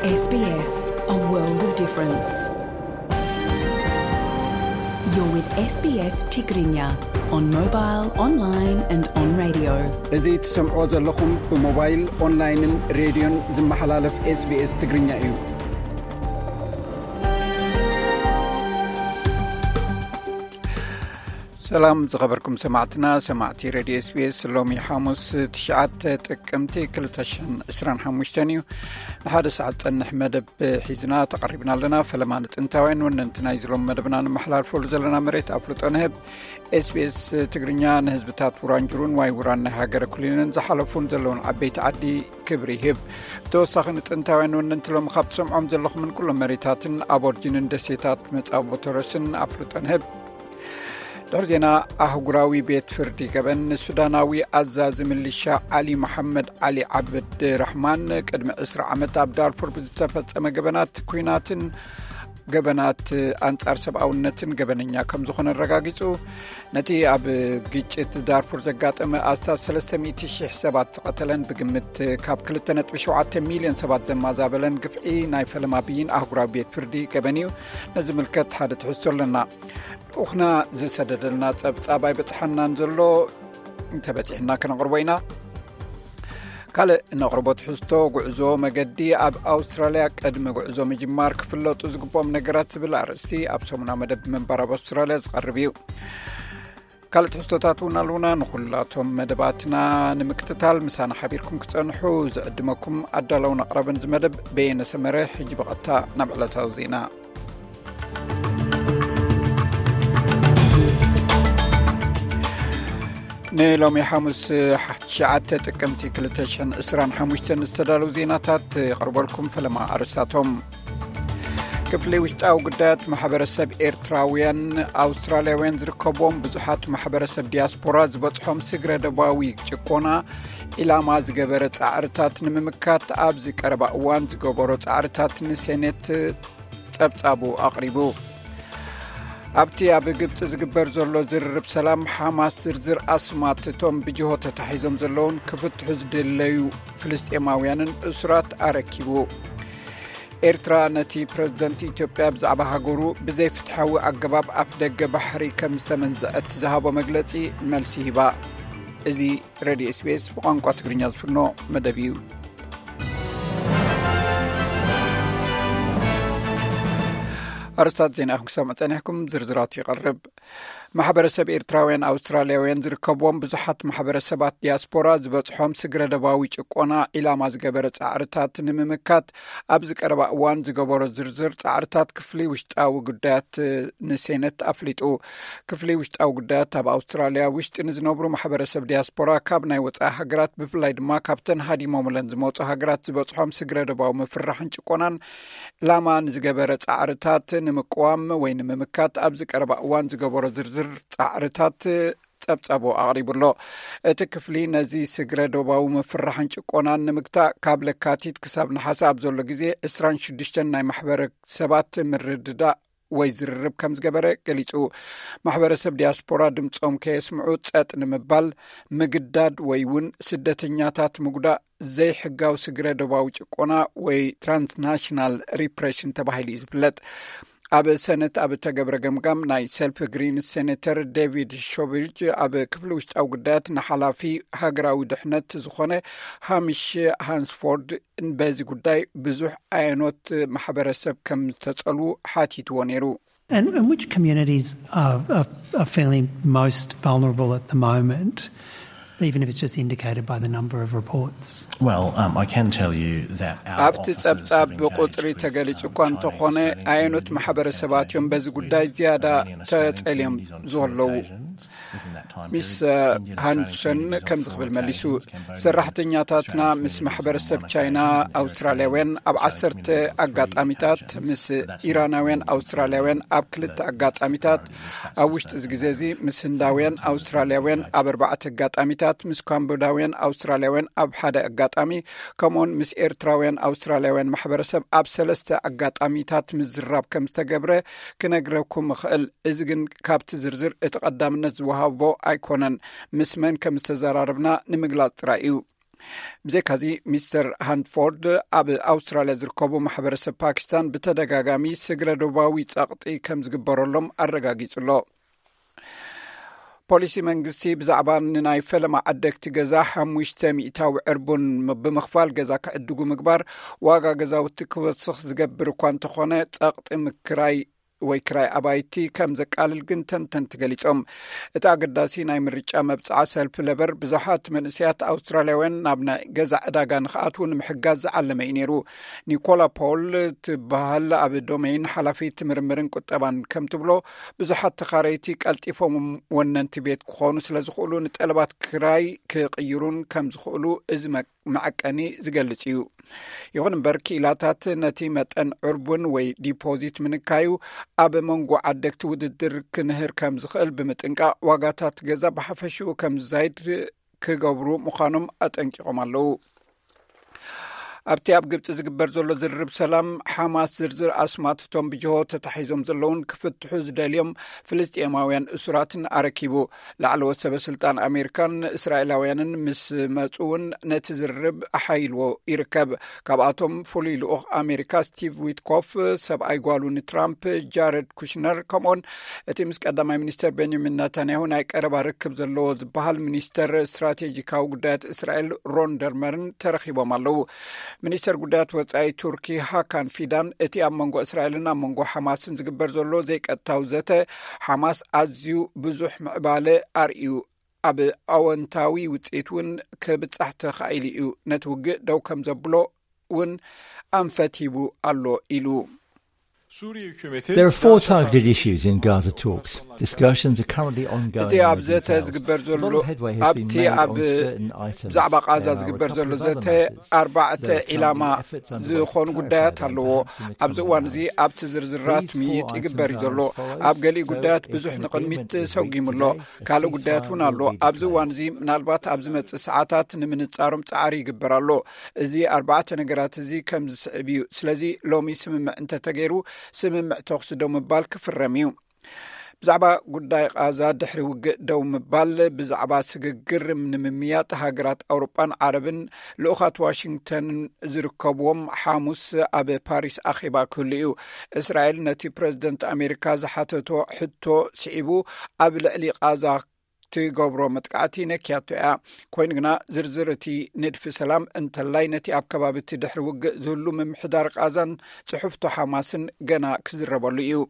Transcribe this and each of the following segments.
S B S, a world of difference. You're with S B S Tigrinya on mobile, online and on radio. እዚ ትሰምዖ ዘለኹም ብሞባይል፣ ኦንላይንን ሬድዮን ዝመሓላለፍ S B S ትግርኛ እዩ። ሰላም ዝኸበርኩም ሰማዕትና፣ ሰማዕቲ ሬድዮ S B S፣ ሎሚ ሓሙስ ትሽዓተ ጥቅምቲ ክልተ ሽሕን ዕስራን ሓሙሽተን እዩ። ንሓደ ሰዓት ጸንሕ መደብ ሒዝና ተቐሪብና ኣለና። ፈለማ ንጥንታውያን ወነንቲ ናይዚ ሎም መደብና ንመሓላልፈሉ ዘለና መሬት ኣፍልጦ ንህብ። S B S ትግርኛ ንህዝብታት ውራንጅሩን ዋይ ውራን ናይ ሃገረ ኩሊንን ዝሓለፉን ዘለውን ዓበይቲ ዓዲ ክብሪ ይህብ። ብተወሳኺ ንጥንታውያን ወነንቲ ሎሚ ካብ ትሰምዖም ዘለኹምን ኩሎም መሬታትን ኣቦርጂንን ደሴታት መጻቦ ቶረስን ኣፍልጦ ንህብ። ድሕሪ ዜና ኣህጉራዊ ቤት ፍርዲ ገበን ንሱዳናዊ ኣዛዚ ምልሻ ዓሊ መሓመድ ዓሊ ዓብድ ራሕማን ቅድሚ ዕስራ ዓመት ኣብ ዳርፉር ብዝተፈጸመ ገበናት ኲናትን ገበናት ኣንጻር ሰብኣውነትን ገበነኛ ከም ዝኾነ ኣረጋጊጹ። ነቲ ኣብ ግጭት ዳርፉር ዘጋጠመ ኣስታት ሰለስተ ሚእቲ ሽሕ ሰባት ዝቐተለን ብግምት ካብ ክልተ ነጥቢ ሸውዓተ ሚልዮን ሰባት ዘማዛበለን ግፍዒ ናይ ፈለማ ብይን ኣህጉራዊ ቤት ፍርዲ ገበን እዩ። ነዚ ምልከት ሓደ ትሕዝቶ ኣለና። ልኡኽና ዝሰደደልና ጸብጻብ ኣይበጽሓናን ዘሎ፣ እንተበጺሕና ከነቕርቦ ኢና። ካልእ ነቕርቦ ትሕዝቶ፣ ጉዕዞ መገዲ ኣብ ኣውስትራልያ ቅድሚ ጉዕዞ ምጅማር ክፍለጡ ዝግብኦም ነገራት ዝብል ኣርእስቲ ኣብ ሰሙናዊ መደብ ምንባር ኣብ ኣውስትራልያ ዝቐርብ እዩ። ካልእ ትሕዝቶታት እውን ኣለዉና። ንኹላቶም መደባትና ንምክትታል ምሳና ሓቢርኩም ክጸንሑ ዝዕድመኩም ኣዳለውን ኣቕራብን ዝመደብ በየነ ሰመረ። ሕጂ ብቐጥታ ናብ ዕለታዊ ዜና። ንሎሚ ሓሙስ ትሽዓተ ጥቅምቲ ክልተ ሽሕን ዕስራን ሓሙሽተን ዝተዳለዉ ዜናታት ይቐርበልኩም። ፈለማ ኣርእስታቶም። ክፍሊ ውሽጣዊ ጉዳያት ማሕበረሰብ ኤርትራውያን ኣውስትራልያውያን ዝርከብዎም ብዙሓት ማሕበረሰብ ዲያስፖራ ዝበጽሖም ስግረ ደባዊ ጭቆና ዒላማ ዝገበረ ጻዕርታት ንምምካት ኣብዚ ቀረባ እዋን ዝገበሮ ጻዕርታት ንሴኔት ጸብጻቡ ኣቕሪቡ። ኣብቲ ኣብ ግብጺ ዝግበር ዘሎ ዝርርብ ሰላም፣ ሓማስ ዝርዝር ኣስማት እቶም ብጅሆ ተታሒዞም ዘለውን ክፍትሑ ዝድለዩ ፍልስጤማውያንን እሱራት ኣረኪቡ። ኤርትራ ነቲ ፕረዚደንት ኢትዮጵያ ብዛዕባ ሃገሩ ብዘይፍትሓዊ ኣገባብ ኣፍ ደገ ባሕሪ ከም ዝተመንዘዐት ዝሃቦ መግለጺ መልሲ ሂባ። እዚ ሬድዮ S B S ብቋንቋ ትግርኛ ዝፍኖ መደብ እዩ። ኣርስታት ዜና ኢኹም ክሰምዑ ጸኒሕኩም፣ ዝርዝራቱ ይቐርብ። ማሕበረሰብ ኤርትራውያን ኣውስትራልያውያን ዝርከብዎም ብዙሓት ማሕበረሰባት ዲያስፖራ ዝበጽሖም ስግረ ደባዊ ጭቆና ዒላማ ዝገበረ ጻዕርታት ንምምካት ኣብዚ ቀረባ እዋን ዝገበሮ ዝርዝር ጻዕርታት ክፍሊ ውሽጣዊ ጉዳያት ንሴነት ኣፍሊጡ። ክፍሊ ውሽጣዊ ጉዳያት ኣብ ኣውስትራልያ ውሽጢ ንዝነብሩ ማሕበረሰብ ዲያስፖራ ካብ ናይ ወጻኢ ሃገራት ብፍላይ ድማ ካብተን ሃዲሞምለን ዝመጹ ሃገራት ዝበጽሖም ስግረ ደባዊ ምፍርራሕን ጭቆናን ዕላማ ንዝገበረ ጻዕርታት ንምቅዋም ወይ ንምምካት ኣብዚ ቀረባ እዋን ዝገበሮ ዝርዝር ጻዕርታት ጸብጻቡ ኣቕሪቡ ኣሎ። እቲ ክፍሊ ነዚ ስግረ ዶባዊ ምፍርራሕን ጭቆናን ንምግታእ ካብ ለካቲት ክሳብ ነሓሰ ኣብ ዘሎ ግዜ ዕስራን ሽዱሽተን ናይ ማሕበረሰባት ምርድዳእ ወይ ዝርርብ ከም ዝገበረ ገሊጹ። ማሕበረሰብ ዲያስፖራ ድምጾም ከየስምዑ ጸጥ ንምባል ምግዳድ ወይ እውን ስደተኛታት ምጉዳእ ዘይሕጋዊ ስግረ ዶባዊ ጭቆና ወይ ትራንስናሽናል ሪፕሬሽን ተባሂሉ እዩ ዝፍለጥ። ኣብ ሰነት ኣብ እተገብረ ገምጋም ናይ ሰልፍ ግሪንስ ሴኔተር ዴቪድ ሾቪጅ ኣብ ክፍሊ ውሽጣዊ ጉዳያት ንሓላፊ ሃገራዊ ድሕነት ዝኾነ ሃሚሽ ሃንስፎርድ በዚ ጉዳይ ብዙሕ ኣየኖት ማሕበረሰብ ከም ዝተጸልዉ ሓቲትዎ ነይሩ። And, and which communities are, are, are feeling most vulnerable at the moment, even if it's just indicated by the number of reports? Well, um, I can tell you that our ኣብቲ offices ጸብጻብ have ብቁጽሪ engaged with, ተገሊጹ um, እኳ እንተኾነ፣ Chinese Australian ኣየኖት communities ማሕበረሰባት እዮም በዚ ጉዳይ ዝያዳ ተጸልዮም ዘለዉ? Within that time ሚስ period, Indian ሃንሰን Australians ከምዚ ክብል መሊሱ፣ ሰራሕተኛታትና ምስ ማሕበረሰብ ቻይና ኣውስትራልያውያን ኣብ ዓሰርተ ኣጋጣሚታት፣ ምስ ኢራናውያን ኣውስትራልያውያን ኣብ ክልተ ኣጋጣሚታት፣ ኣብ ውሽጢ እዚ ግዜ እዚ ምስ ህንዳውያን ኣውስትራልያውያን ኣብ ኣርባዕተ ኣጋጣሚታት፣ ምስ ካምቦዳውያን ኣውስትራልያውያን ኣብ ሓደ ኣጋጣሚ፣ ከምኡውን ምስ ኤርትራውያን ኣውስትራልያውያን ማሕበረሰብ ኣብ ሰለስተ ኣጋጣሚታት ምዝራብ ከም ዝተገብረ ክነግረኩም እኽእል። እዚ ግን ካብቲ ዝርዝር እቲ ቀዳምነት ዝወሃቦ ኣይኮነን። ምስ መን ከም ዝተዘራረብና ንምግላጽ ጥራይ እዩ። ብዘይካዚ፣ ሚስተር ሃንትፎርድ ኣብ ኣውስትራልያ ዝርከቡ ማሕበረሰብ ፓኪስታን ብተደጋጋሚ ስግረ ዶባዊ ጸቕጢ ከም ዝግበረሎም ኣረጋጊጹ ኣሎ። ፖሊሲ መንግስቲ ብዛዕባ ንናይ ፈለማ ዓደግቲ ገዛ ሓሙሽተ ሚእታዊ ዕርቡን ብምኽፋል ገዛ ክዕድጉ ምግባር፣ ዋጋ ገዛውቲ ክወስኽ ዝገብር እኳ እንተኾነ፣ ጸቕጢ ምክራይ ወይ ክራይ ኣባይቲ ከም ዘቃልል ግን ተንተንቲ ገሊጾም። እቲ ኣገዳሲ ናይ ምርጫ መብጽዓ ሰልፊ ለበር ብዙሓት መንእሰያት ኣውስትራልያውያን ናብ ናይ ገዛ ዕዳጋ ንክኣትዉ ንምሕጋዝ ዝዓለመ እዩ ነይሩ። ኒኮላ ፖል ትበሃል ኣብ ዶሜይን ሓላፊት ምርምርን ቁጠባን ከም ትብሎ፣ ብዙሓት ተኻረይቲ ቀልጢፎም ወነንቲ ቤት ክኾኑ ስለ ዝኽእሉ፣ ንጠለባት ክራይ ክቕይሩን ከም ዝኽእሉ እዚ መ-፣ መዐቀኒ ዝገልጽ እዩ። ይኹን እምበር፣ ክኢላታት ነቲ መጠን ዕርቡን ወይ ዲፖዚት ምንካዩ ኣብ መንጎ ዓደግቲ ውድድር ክንህር ከም ዝኽእል ብምጥንቃቕ፣ ዋጋታት ገዛ ብሓፈሽኡ ከም ዝዛይድ ክገብሩ ምዃኖም ኣጠንቂቖም ኣለዉ። ኣብቲ ኣብ ግብጺ ዝግበር ዘሎ ዝርርብ ሰላም፣ ሓማስ ዝርዝር ኣስማትቶም ብጅሆ ተታሒዞም ዘለውን ክፍትሑ ዝደልዮም ፍልስጤማውያን እሱራትን ኣረኪቡ። ላዕለዎት ሰበ ስልጣን ኣሜሪካን እስራኤላውያንን ምስ መጹ እውን ነቲ ዝርርብ ኣሓይልዎ ይርከብ። ካብኣቶም ፍሉይ ልኡኽ ኣሜሪካ ስቲቭ ዊትኮፍ፣ ሰብኣይ ጓሉ ንትራምፕ ጃረድ ኩሽነር፣ ከምኡውን እቲ ምስ ቀዳማይ ሚኒስተር ቤንያሚን ናታንያሁ ናይ ቀረባ ርክብ ዘለዎ ዝበሃል ሚኒስተር ስትራቴጂካዊ ጉዳያት እስራኤል ሮን ደርመርን ተረኺቦም ኣለዉ። ሚኒስተር ጉዳያት ወጻኢ ቱርኪ ሃካን ፊዳን፣ እቲ ኣብ መንጎ እስራኤልን ኣብ መንጎ ሓማስን ዝግበር ዘሎ ዘይቀጥታዊ ዘተ፣ ሓማስ ኣዝዩ ብዙሕ ምዕባለ ኣርእዩ፣ ኣብ ኣወንታዊ ውጽኢት እውን ክብጻሕ ተኻኢሉ እዩ፣ ነቲ ውግእ ደው ከም ዘብሎ እውን ኣንፈት ሂቡ ኣሎ ኢሉ። There are four targeted issues in Gaza talks. Discussions are currently ongoing. እቲ ኣብ ዘተ ዝግበር ዘሎ፣ ኣብቲ ኣብ ብዛዕባ ቃዛ ዝግበር ዘሎ ዘተ ኣርባዕተ ዒላማ ዝኾኑ ጉዳያት ኣለዎ። ኣብዚ እዋን እዚ ኣብቲ ዝርዝራት ምይጥ ይግበር እዩ ዘሎ። ኣብ ገሊኡ ጉዳያት ብዙሕ ንቕድሚት ሰጒሙ ኣሎ። ካልእ ጉዳያት እውን ኣሎ። ኣብዚ እዋን እዚ፣ ምናልባት ኣብ ዝመጽእ ሰዓታት ንምንጻሮም ጻዕሪ ይግበር ኣሎ። እዚ ኣርባዕተ ነገራት እዚ ከም ዝስዕብ እዩ። ስለዚ ሎሚ ስምምዕ እንተተገይሩ፣ ስምምዕ ተኹሲ ደው ምባል ክፍረም እዩ። ብዛዕባ ጉዳይ ቃዛ ድሕሪ ውግእ ደው ምባል፣ ብዛዕባ ስግግር ንምምያጥ ሃገራት ኣውሮጳን ዓረብን ልኡኻት ዋሽንግተን ዝርከብዎም ሓሙስ ኣብ ፓሪስ ኣኼባ ክህሉ እዩ። እስራኤል ነቲ ፕረዚደንት ኣሜሪካ ዝሓተቶ ሕቶ ስዒቡ ኣብ ልዕሊ ቃዛ ትገብሮ መጥቃዕቲ ነክያቶ እያ። ኮይኑ ግና ዝርዝር እቲ ንድፊ ሰላም እንተላይ ነቲ ኣብ ከባቢ እቲ ድሕሪ ውግእ ዝህሉ ምምሕዳር ቃዛን ጽሑፍቶ ሓማስን ገና ክዝረበሉ እዩ።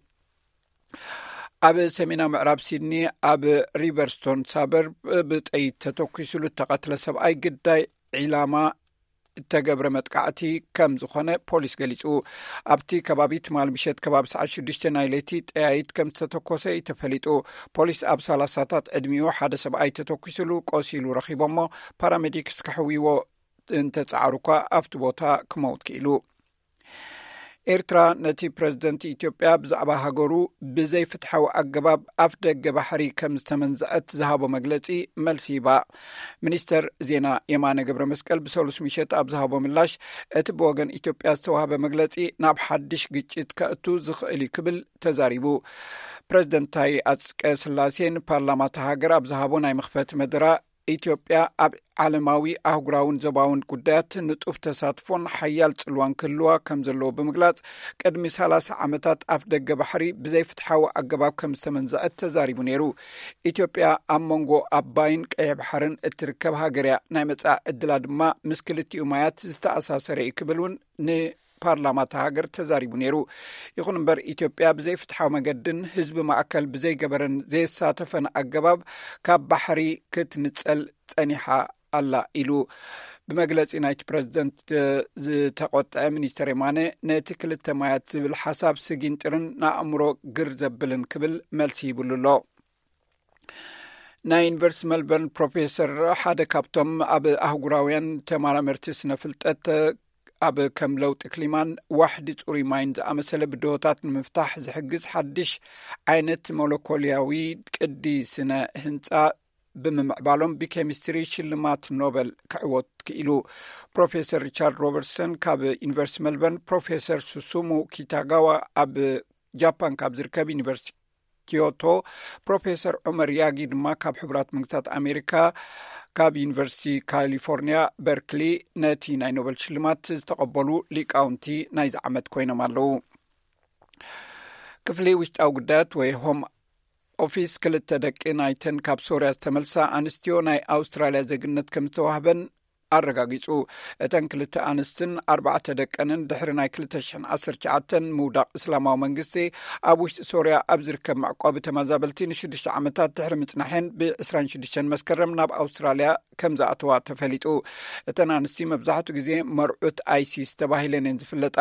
ኣብ ሰሜናዊ ምዕራብ ሲድኒ ኣብ ሪቨርስቶን ሳበርብ ብጠይት ተተኩሱሉ እተቐትለ ሰብኣይ ግዳይ ዒላማ እተገብረ መጥቃዕቲ ከም ዝኾነ ፖሊስ ገሊጹ። ኣብቲ ከባቢ ትማል ምሸት ከባቢ ሰዓት ሽዱሽተ ናይ ለይቲ ጠያይት ከም ዝተተኮሰ እዩ ተፈሊጡ። ፖሊስ ኣብ ሰላሳታት ዕድሚኡ ሓደ ሰብኣይ ተተኩሱሉ ቆሲሉ ረኺቦሞ፣ ፓራሜዲክስ ክሕውይዎ እንተጻዕሩ እኳ ኣብቲ ቦታ ክመውት ክኢሉ። ኤርትራ ነቲ ፕረዚደንት ኢትዮጵያ ብዛዕባ ሃገሩ ብዘይፍትሓዊ ኣገባብ ኣፍ ደገ ባሕሪ ከም ዝተመንዝዐት ዝሃቦ መግለጺ መልሲ ሂባ። ሚኒስተር ዜና የማነ ገብረ መስቀል ብሰሉስ ምሸት ኣብ ዝሃቦ ምላሽ፣ እቲ ብወገን ኢትዮጵያ ዝተዋህበ መግለጺ ናብ ሓድሽ ግጭት ከእቱ ዝኽእል እዩ ክብል ተዛሪቡ። ፕረዚደንት ታዬ ኣጽቀ ስላሴ ንፓርላማ እታ ሃገር ኣብ ዝሃቦ ናይ መኽፈቲ መደረ፣ ኢትዮጵያ ኣብ ዓለማዊ፣ ኣህጉራውን ዞባውን ጉዳያት ንጡፍ ተሳትፎን ሓያል ጽልዋን ክህልዋ ከም ዘለዎ ብምግላጽ፣ ቅድሚ ሰላሳ ዓመታት ኣፍ ደገ ባሕሪ ብዘይፍትሓዊ ኣገባብ ከም ዝተመንዘዐት ተዛሪቡ ነይሩ። ኢትዮጵያ ኣብ መንጎ ኣባይን ቀይሕ ባሕርን እትርከብ ሃገር እያ። ናይ መጻኢ ዕድላ ድማ ምስ ክልቲኡ ማያት ዝተኣሳሰረ እዩ ክብል እውን ንፓርላማ እታ ሃገር ተዛሪቡ ነይሩ። ይኹን እምበር፣ ኢትዮጵያ ብዘይፍትሓዊ መገድን ህዝቢ ማእከል ብዘይገበረን ዘየሳተፈን ኣገባብ ካብ ባሕሪ ክትንጸል ጸኒሓ ኣላ ኢሉ። ብመግለጺ ናይቲ ፕረዚደንት ዝተቖጥዐ ሚኒስተር የማነ፣ ነቲ ክልተ ማያት ዝብል ሓሳብ ስጊንጥርን ንኣእምሮ ግር ዘብልን ክብል መልሲ ሂብሉ ኣሎ። ናይ ዩኒቨርሲቲ መልበርን ፕሮፌሰር፣ ሓደ ካብቶም ኣብ ኣህጉራውያን ተመራመርቲ ስነ ፍልጠት፣ ኣብ ከም ለውጢ ክሊማን ዋሕዲ ጽሩይ ማይን ዝኣመሰለ ብድሆታት ንምፍታሕ ዝሕግዝ ሓድሽ ዓይነት ሞለኮልያዊ ቅዲ ስነ ህንጻ ብምምዕባሎም ብኬሚስትሪ ሽልማት ኖበል ክዕወት ክኢሉ። ፕሮፌሰር ሪቻርድ ሮበርትሰን ካብ ዩኒቨርሲቲ መልበርን፣ ፕሮፌሰር ሱሱሙ ኪታጋዋ ኣብ ጃፓን ካብ ዝርከብ ዩኒቨርሲቲ ኪዮቶ፣ ፕሮፌሰር ዑመር ያጊ ድማ ካብ ሕቡራት መንግስታት ኣሜሪካ ካብ ዩኒቨርሲቲ ካሊፎርኒያ በርክሊ ነቲ ናይ ኖበል ሽልማት ዝተቐበሉ ሊቃውንቲ ናይዚ ዓመት ኮይኖም ኣለዉ። ክፍሊ ውሽጣዊ ጉዳያት ወይ ሆም ኦፊስ ክልተ ደቂ ናይተን ካብ ሶርያ ዝተመልሳ ኣንስትዮ ናይ ኣውስትራልያ ዜግነት ከም ዝተዋህበን ኣረጋጊጹ። እተን ክልተ ኣንስትን ኣርባዕተ ደቀንን ድሕሪ ናይ ክልተ ሽሕን ዓሰርተ ትሽዓተን ምውዳቕ እስላማዊ መንግስቲ ኣብ ውሽጢ ሶርያ ኣብ ዝርከብ መዕቆቢ ተመዛበልቲ ንሽዱሽተ ዓመታት ድሕሪ ምጽናሐን ብ ዕስራን ሽዱሽተን መስከረም ናብ ኣውስትራልያ ከም ዝኣተዋ ተፈሊጡ። እተን ኣንስቲ መብዛሕትኡ ግዜ መርዑት ኣይሲስ ተባሂለን እየን ዝፍለጣ።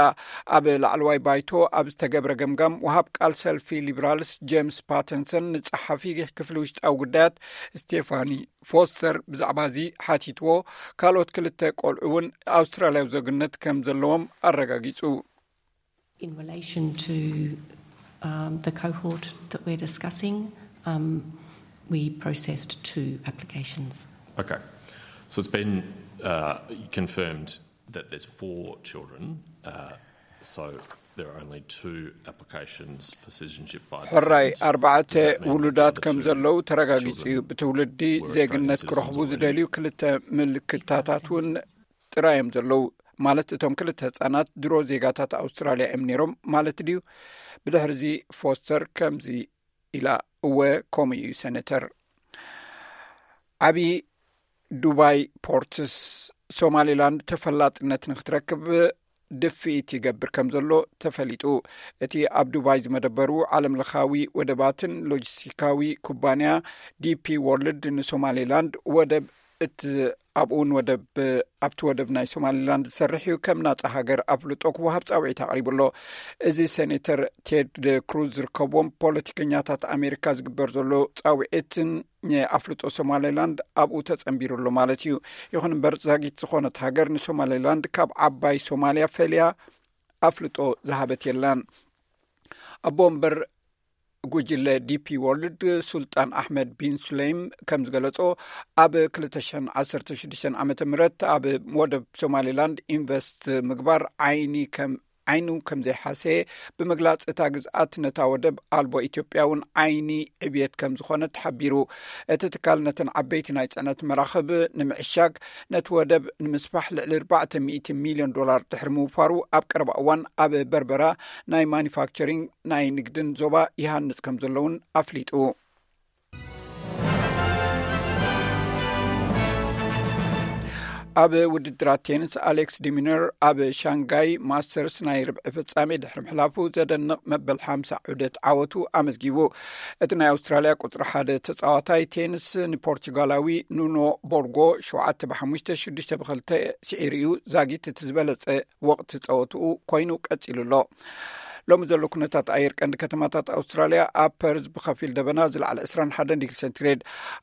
ኣብ ላዕለዋይ ባይቶ ኣብ ዝተገብረ ገምጋም፣ ወሃብ ቃል ሰልፊ ሊብራልስ ጄምስ ፓተንሰን ንጸሓፊ ክፍሊ ውሽጣዊ ጉዳያት ስቴፋኒ ፎስተር ብዛዕባ እዚ ሓቲትዎ፣ ካልኦት ክልተ ቆልዑ እውን ኣውስትራልያዊ ዜግነት ከም ዘለዎም ኣረጋጊጹ። In relation to um, the cohort that we're discussing, um, we processed two applications. Okay, so it's been uh, confirmed that there's four children, uh, so there are only two applications for citizenship by the ሕራይ Senate. ኣርባዕተ Does that mean that ውሉዳት the ከም two ዘለዉ ተረጋጊጹ እዩ። children ብትውልዲ were ዜግነት Australian ክረኽቡ citizens ዝደልዩ ክልተ ምልክታታት እውን ጥራይ እዮም ዘለዉ። ማለት እቶም ክልተ ህጻናት ድሮ ዜጋታት ኣውስትራልያ እዮም ነይሮም ማለት ድዩ? ብድሕርዚ ፎስተር ከምዚ ኢላ፣ እወ፣ ከምኡ እዩ ሰነተር። ዓቢ ዱባይ ፖርትስ ሶማሊላንድ ተፈላጥነት ንክትረክብ ድፍኢት ይገብር ከም ዘሎ ተፈሊጡ። እቲ ኣብ ዱባይ ዝመደበሩ ዓለም ለኻዊ ወደባትን ሎጂስቲካዊ ኩባንያ ዲፒ ወርልድ ንሶማሊላንድ ወደብ እቲ ኣብኡ እውን ወደብ ኣብቲ ወደብ ናይ ሶማሊላንድ ዝሰርሕ እዩ፣ ከም ናጻ ሃገር ኣፍልጦ ክወሃብ ጻውዒት ኣቕሪቡ ኣሎ። እዚ ሴኔተር ቴድ ክሩዝ ዝርከብዎም ፖለቲከኛታት ኣሜሪካ ዝግበር ዘሎ ጻውዒትን ኣፍልጦ ሶማሊላንድ ኣብኡ ተጸንቢሩ ኣሎ ማለት እዩ። ይኹን እምበር ዛጊት ዝኾነት ሃገር ንሶማሊላንድ ካብ ዓባይ ሶማልያ ፈልያ ኣፍልጦ ዝሃበት የላን። ኣቦ ወንበር ጉጅለ ዲፒ ወርልድ ሱልጣን ኣሕመድ ቢን ሱለይም ከም ዝገለጾ፣ ኣብ ክልተ ሽሕን ዓሰርተ ሽዱሽተን ዓመተ ምህረት ኣብ ወደብ ሶማሊላንድ ኢንቨስት ምግባር ዓይኒ ከም ዓይኑ ከም ዘይሓሰየ ብምግላጽ፣ እታ ግዝኣት ነታ ወደብ ኣልቦ ኢትዮጵያ እውን ዓይኒ ዕብየት ከም ዝኾነ ተሓቢሩ። እቲ ትካል ነተን ዓበይቲ ናይ ጽዕነት መራኽብ ንምዕሻግ ነቲ ወደብ ንምስፋሕ ልዕሊ ኣርባዕተ ሚእቲ ሚልዮን ዶላር ድሕሪ ምውፋሩ፣ ኣብ ቀረባ እዋን ኣብ በርበራ ናይ ማኒፋክቸሪንግ ናይ ንግድን ዞባ ይሃንጽ ከም ዘሎ እውን ኣፍሊጡ። ኣብ ውድድራት ቴኒስ ኣሌክስ ዲሚነር ኣብ ሻንጋይ ማስተርስ ናይ ርብዒ ፍጻሜ ድሕሪ ምሕላፉ ዘደንቕ መበል ሓምሳ ዑደት ዓወቱ ኣመዝጊቡ። እቲ ናይ ኣውስትራልያ ቁጽሪ ሓደ ተጻዋታይ ቴኒስ ንፖርቹጋላዊ ኑኖ ቦርጎ ሸውዓተ ብሓሙሽተ፣ ሽዱሽተ ብኽልተ ስዒሩ እዩ። ዛጊት እቲ ዝበለጸ ወቕቲ ጸወትኡ ኮይኑ ቀጺሉ ኣሎ። ሎሚ ዘሎ ኩነታት ኣየር ቀንዲ ከተማታት ኣውስትራልያ፣ ኣብ ፐርዝ ብኸፊል ደበና ዝለዓለ ዕስራን ሓደን ዲግሪ ሴንቲግሬድ፣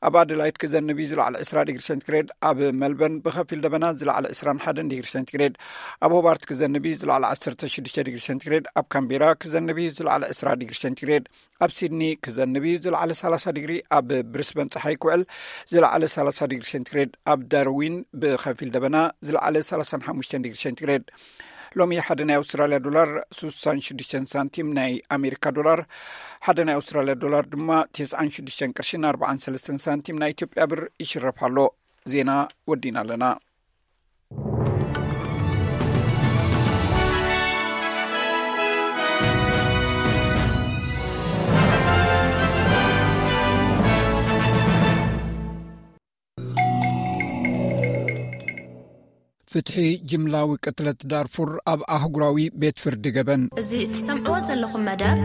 ኣብ ኣደላይድ ክዘንብ እዩ ዝለዓለ ዕስራ ዲግሪ ሴንቲግሬድ፣ ኣብ መልበርን ብኸፊል ደበና ዝለዓለ ዕስራን ሓደን ዲግሪ ሴንቲግሬድ፣ ኣብ ሆባርት ክዘንብ እዩ ዝለዓለ ዓሰርተ ሽዱሽተ ዲግሪ ሴንቲግሬድ፣ ኣብ ካምቤራ ክዘንብ እዩ ዝለዓለ ዕስራ ዲግሪ ሴንቲግሬድ፣ ኣብ ሲድኒ ክዘንብ እዩ ዝለዓለ ሰላሳ ዲግሪ፣ ኣብ ብሪስበን ጸሓይ ክውዕል ዝለዓለ ሰላሳ ዲግሪ ሴንቲግሬድ፣ ኣብ ዳርዊን ብኸፊል ደበና ዝለዓለ ሰላሳን ሓሙሽተን ዲግሪ ሴንቲግሬድ። ሎሚ ሓደ ናይ ኣውስትራልያ ዶላር ስሳን ሽዱሽተን ሳንቲም፣ ናይ ኣሜሪካ ዶላር ሓደ ናይ ኣውስትራልያ ዶላር ድማ ተስዓን ሽዱሽተን ቅርሽን ኣርባዓን ሰለስተን ሳንቲም ናይ ኢትዮጵያ ብር ይሽረፍ ኣሎ። ዜና ወዲና ኣለና። ፍትሒ ጅምላዊ ቅትለት ዳርፉር ኣብ ኣህጉራዊ ቤት ፍርዲ ገበን። እዚ እትሰምዕዎ ዘለኹም መደብ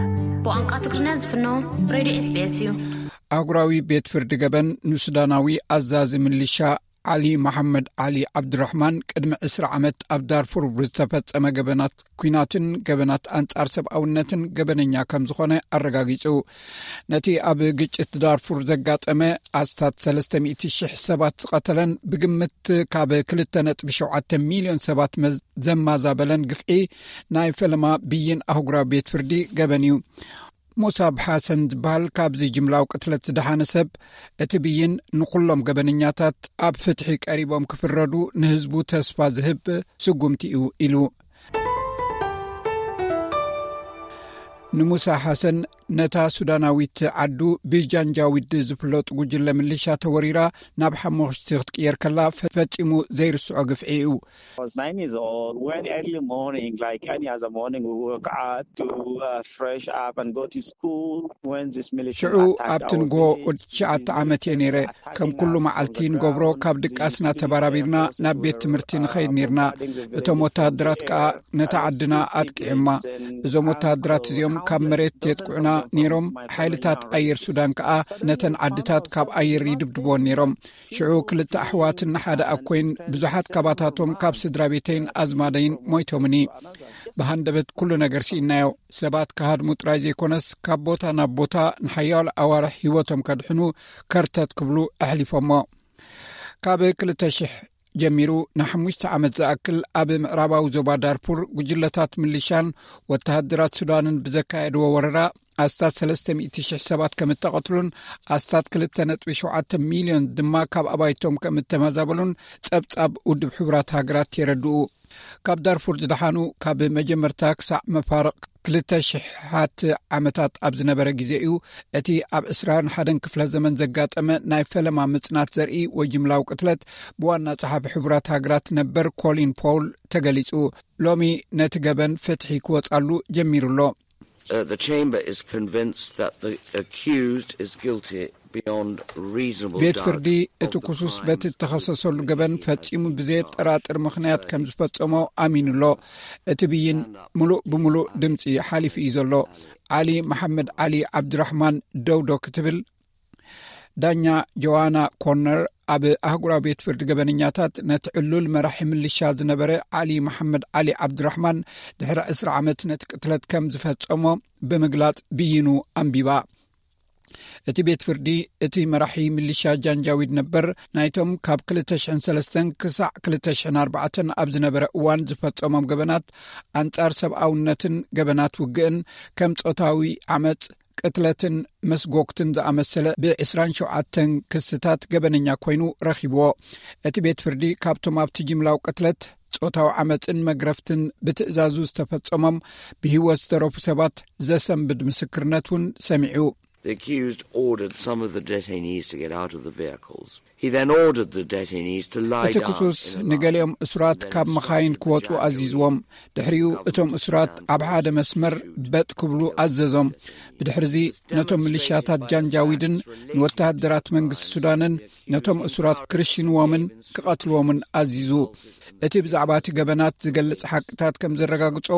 ብቋንቋ ትግርኛ ዝፍኖ ሬድዮ ኤስቢኤስ እዩ። ኣህጉራዊ ቤት ፍርዲ ገበን ንሱዳናዊ ኣዛዚ ምልሻ ዓሊ መሓመድ ዓሊ ዓብዱራሕማን ቅድሚ ዕስራ ዓመት ኣብ ዳርፉር ብዝተፈጸመ ገበናት ኲናትን ገበናት ኣንጻር ሰብኣውነትን ገበነኛ ከም ዝኾነ ኣረጋጊጹ። ነቲ ኣብ ግጭት ዳርፉር ዘጋጠመ ኣስታት ሰለስተ ሚእቲ ሽሕ ሰባት ዝቐተለን ብግምት ካብ ክልተ ነጥቢ ሸውዓተ ሚልዮን ሰባት መዝ-፣ ዘማዛበለን ግፍዒ ናይ ፈለማ ብይን ኣህጉራዊ ቤት ፍርዲ ገበን እዩ። ሙሳብ ሓሰን ዝበሃል ካብዚ ጅምላዊ ቅትለት ዝደሓነ ሰብ፣ እቲ ብይን ንኹሎም ገበነኛታት ኣብ ፍትሒ ቀሪቦም ክፍረዱ ንህዝቡ ተስፋ ዝህብ ስጉምቲ እዩ ኢሉ። ንሙሳ ሓሰን ነታ ሱዳናዊት ዓዱ ብጃንጃዊድ ዝፍለጡ ጉጅለ ምልሻ ተወሪራ ናብ ሓሙኽሽቲ ክትቅየር ከላ ፈጺሙ ዘይርስዖ ግፍዒ እዩ። I was nine years old when early morning, like any other morning, we woke up to uh, fresh up and go to school. When this militia ሽዑ ኣብቲ ንጎ ወዲ ትሽዓተ ዓመት እየ ነይረ። ከም ኩሉ መዓልቲ ንገብሮ፣ ካብ ድቃስና ተባራቢርና ናብ ቤት ትምህርቲ ንኸይድ ነርና። እቶም ወተሃደራት ከኣ ነታ ዓድና ኣጥቂዕማ። እዞም ወተሃደራት እዚኦም ካብ መሬት የጥቅዑና ነይሮም። ሓይልታት ኣየር ሱዳን ከኣ ነተን ዓድታት ካብ ኣየር ይድብድቦን ነይሮም። ሽዑ ክልተ ኣሕዋትን ሓደ ኣኮይን ብዙሓት ካባታቶም ካብ ስድራ ቤተይን ኣዝማደይን ሞይቶምኒ። ብሃንደበት ኩሉ ነገር ስኢናዮ። ሰባት ክሃድሙ ጥራይ ዘይኮነስ ካብ ቦታ ናብ ቦታ ንሓያሎ ኣዋርሕ ህይወቶም ከድሕኑ ከርተት ክብሉ ኣሕሊፎሞ። ካብ ክልተ ሽሕ ጀሚሩ ንሓሙሽተ ዓመት ዝኣክል ኣብ ምዕራባዊ ዞባ ዳርፉር ጉጅለታት ምልሻን ወተሃደራት ሱዳንን ብዘካየድዎ ወረራ ኣስታት ሰለስተ ሚእቲ ሽሕ ሰባት ከም እተቐትሉን ኣስታት ክልተ ነጥቢ ሸውዓተ ሚልዮን ድማ ካብ ኣባይቶም ከም እተመዛበሉን ጸብጻብ ውድብ ሕቡራት ሃገራት የረድኡ። ካብ ዳርፉር ዝደሓኑ ካብ መጀመርታ ክሳዕ መፋርቕ ክልተ ሽሓት ዓመታት ኣብ ዝነበረ ግዜ እዩ። እቲ ኣብ ዕስራን ሓደን ክፍለ ዘመን ዘጋጠመ ናይ ፈለማ ምጽናት ዘርኢ ወይ ጅምላዊ ቅትለት ብዋና ጸሓፊ ሕቡራት ሃገራት ነበር ኮሊን ፖውል ተገሊጹ። ሎሚ ነቲ ገበን ፍትሒ ክወጻሉ ጀሚሩ ኣሎ። Uh, the chamber is convinced that the accused is guilty beyond reasonable ቤት doubt ፍርዲ እቲ of the ክሱስ crime በቲ እተኸሰሰሉ ገበን ፈጺሙ ብዘየጠራጥር ምኽንያት ከም ዝፈጸሞ ኣሚኑ ኣሎ። እቲ ብይን ምሉእ ብምሉእ ድምጺ ሓሊፉ እዩ ዘሎ። ዓሊ መሓመድ ዓሊ ዓብድራሕማን ደውዶ ክትብል ዳኛ ጆዋና ኮርነር ኣብ ኣህጉራዊ ቤት ፍርዲ ገበነኛታት ነቲ ዕሉል መራሒ ምልሻ ዝነበረ ዓሊ መሓመድ ዓሊ ዓብድራሕማን ድሕሪ ዕስራ ዓመት ነቲ ቅትለት ከም ዝፈጸሞ ብምግላጽ ብይኑ ኣንቢባ። እቲ ቤት ፍርዲ እቲ መራሒ ምልሻ ጃንጃዊድ ነበር ናይቶም ካብ ክልተ ሽሕን ሰለስተን ክሳዕ ክልተ ሽሕን ኣርባዕተን ኣብ ዝነበረ እዋን ዝፈጸሞም ገበናት ኣንጻር ሰብኣውነትን ገበናት ውግእን ከም ጾታዊ ዓመጽ ቅትለትን መስጎግትን ዝኣመሰለ ብዕስራን ሸውዓተን ክስታት ገበነኛ ኮይኑ ረኺብዎ። እቲ ቤት ፍርዲ ካብቶም ኣብቲ ጅምላዊ ቅትለት፣ ጾታዊ ዓመጽን መግረፍትን ብትእዛዙ ዝተፈጸሞም ብህይወት ዝተረፉ ሰባት ዘሰንብድ ምስክርነት እውን ሰሚዑ። The accused ordered some of the detainees to get out of the vehicles. He then ordered the detainees to lie እቲ down ክሱስ in a line ንገሊኦም እሱራት ካብ መኻይን ክወጹ ኣዚዝዎም። ድሕሪኡ እቶም እሱራት ኣብ ሓደ መስመር በጥ ክብሉ ኣዘዞም። ብድሕርዚ ነቶም ምልሻታት ጃንጃዊድን ንወተሃደራት መንግስቲ ሱዳንን ነቶም እሱራት ክርሽንዎምን ክቐትልዎምን ኣዚዙ። እቲ ብዛዕባ እቲ ገበናት ዝገልጽ ሓቅታት ከም ዘረጋግጾ፣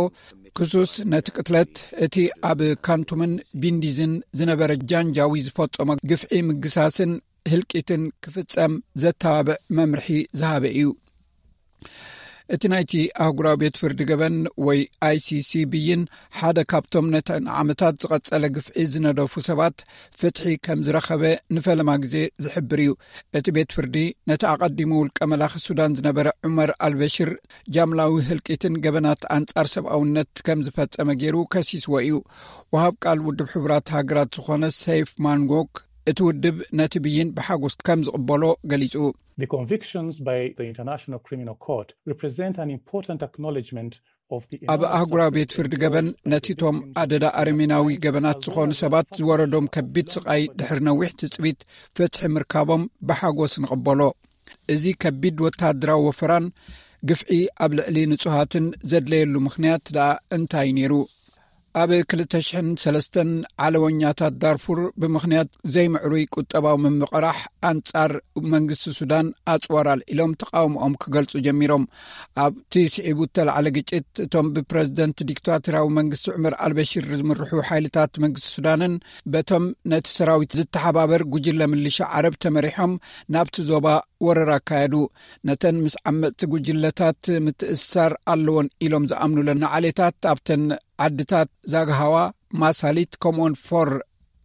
ክሱስ ነቲ ቅትለት፣ እቲ ኣብ ካንቱምን ቢንዲዝን ዝነበረ ጃንጃዊ ዝፈጸሞ ግፍዒ ምግሳስን ህልቂትን ክፍጸም ዘተባብዕ መምርሒ ዝሃበ እዩ። እቲ ናይቲ ኣህጉራዊ ቤት ፍርዲ ገበን ወይ ኣይሲሲ ብይን ሓደ ካብቶም ነቲ ንዓመታት ዝቐጸለ ግፍዒ ዝነደፉ ሰባት ፍትሒ ከም ዝረኸበ ንፈለማ ግዜ ዝሕብር እዩ። እቲ ቤት ፍርዲ ነቲ ኣቐዲሙ ውልቀ መላኺ ሱዳን ዝነበረ ዑመር ኣልበሽር ጃምላዊ ህልቂትን ገበናት ኣንጻር ሰብኣውነት ከም ዝፈጸመ ገይሩ ከሲስዎ እዩ። ወሃብ ቃል ውድብ ሕቡራት ሃገራት ዝኾነ ሰይፍ ማንጎክ እቲ ውድብ ነቲ ብይን ብሓጎስ ከም ዝቕበሎ ገሊጹ። The convictions by the International Criminal Court represent an important acknowledgement of the ኣብ enormous ኣህጉራዊ ቤት suffering ፍርዲ ገበን ነቲቶም ኣደዳ ኣረሜናዊ ገበናት ዝኾኑ ሰባት ዝወረዶም ከቢድ ስቓይ ድሕሪ ነዊሕ ትጽቢት ፍትሒ ምርካቦም ብሓጎስ ንቕበሎ። እዚ ከቢድ ወተሃደራዊ ወፈራን ግፍዒ ኣብ ልዕሊ ንጹሃትን ዘድለየሉ ምኽንያት ደኣ እንታይ ነይሩ? ኣብ ክልተ ሽሕን ሰለስተን ዓለወኛታት ዳርፉር ብምኽንያት ዘይምዕሩይ ቁጠባዊ ምምቕራሕ ኣንጻር መንግስቲ ሱዳን ኣጽዋር ኣልዒሎም ተቓውሞኦም ክገልጹ ጀሚሮም። ኣብቲ ስዒቡ እተላዕለ ግጭት እቶም ብፕረዚደንት ዲክታቶራዊ መንግስቲ ዑመር ኣልበሽር ዝምርሑ ሓይልታት መንግስቲ ሱዳንን በቶም ነቲ ሰራዊት ዝተሓባበር ጉጅለ ምልሻ ዓረብ ተመሪሖም ናብቲ ዞባ ወረራ ኣካየዱ። ነተን ምስ ዓመጽቲ ጉጅለታት ምትእስሳር ኣለዎን ኢሎም ዝኣምኑለን ንዓሌታት ኣብተን ዓድታት ዛግሃዋ፣ ማሳሊት ከምኡውን ፎር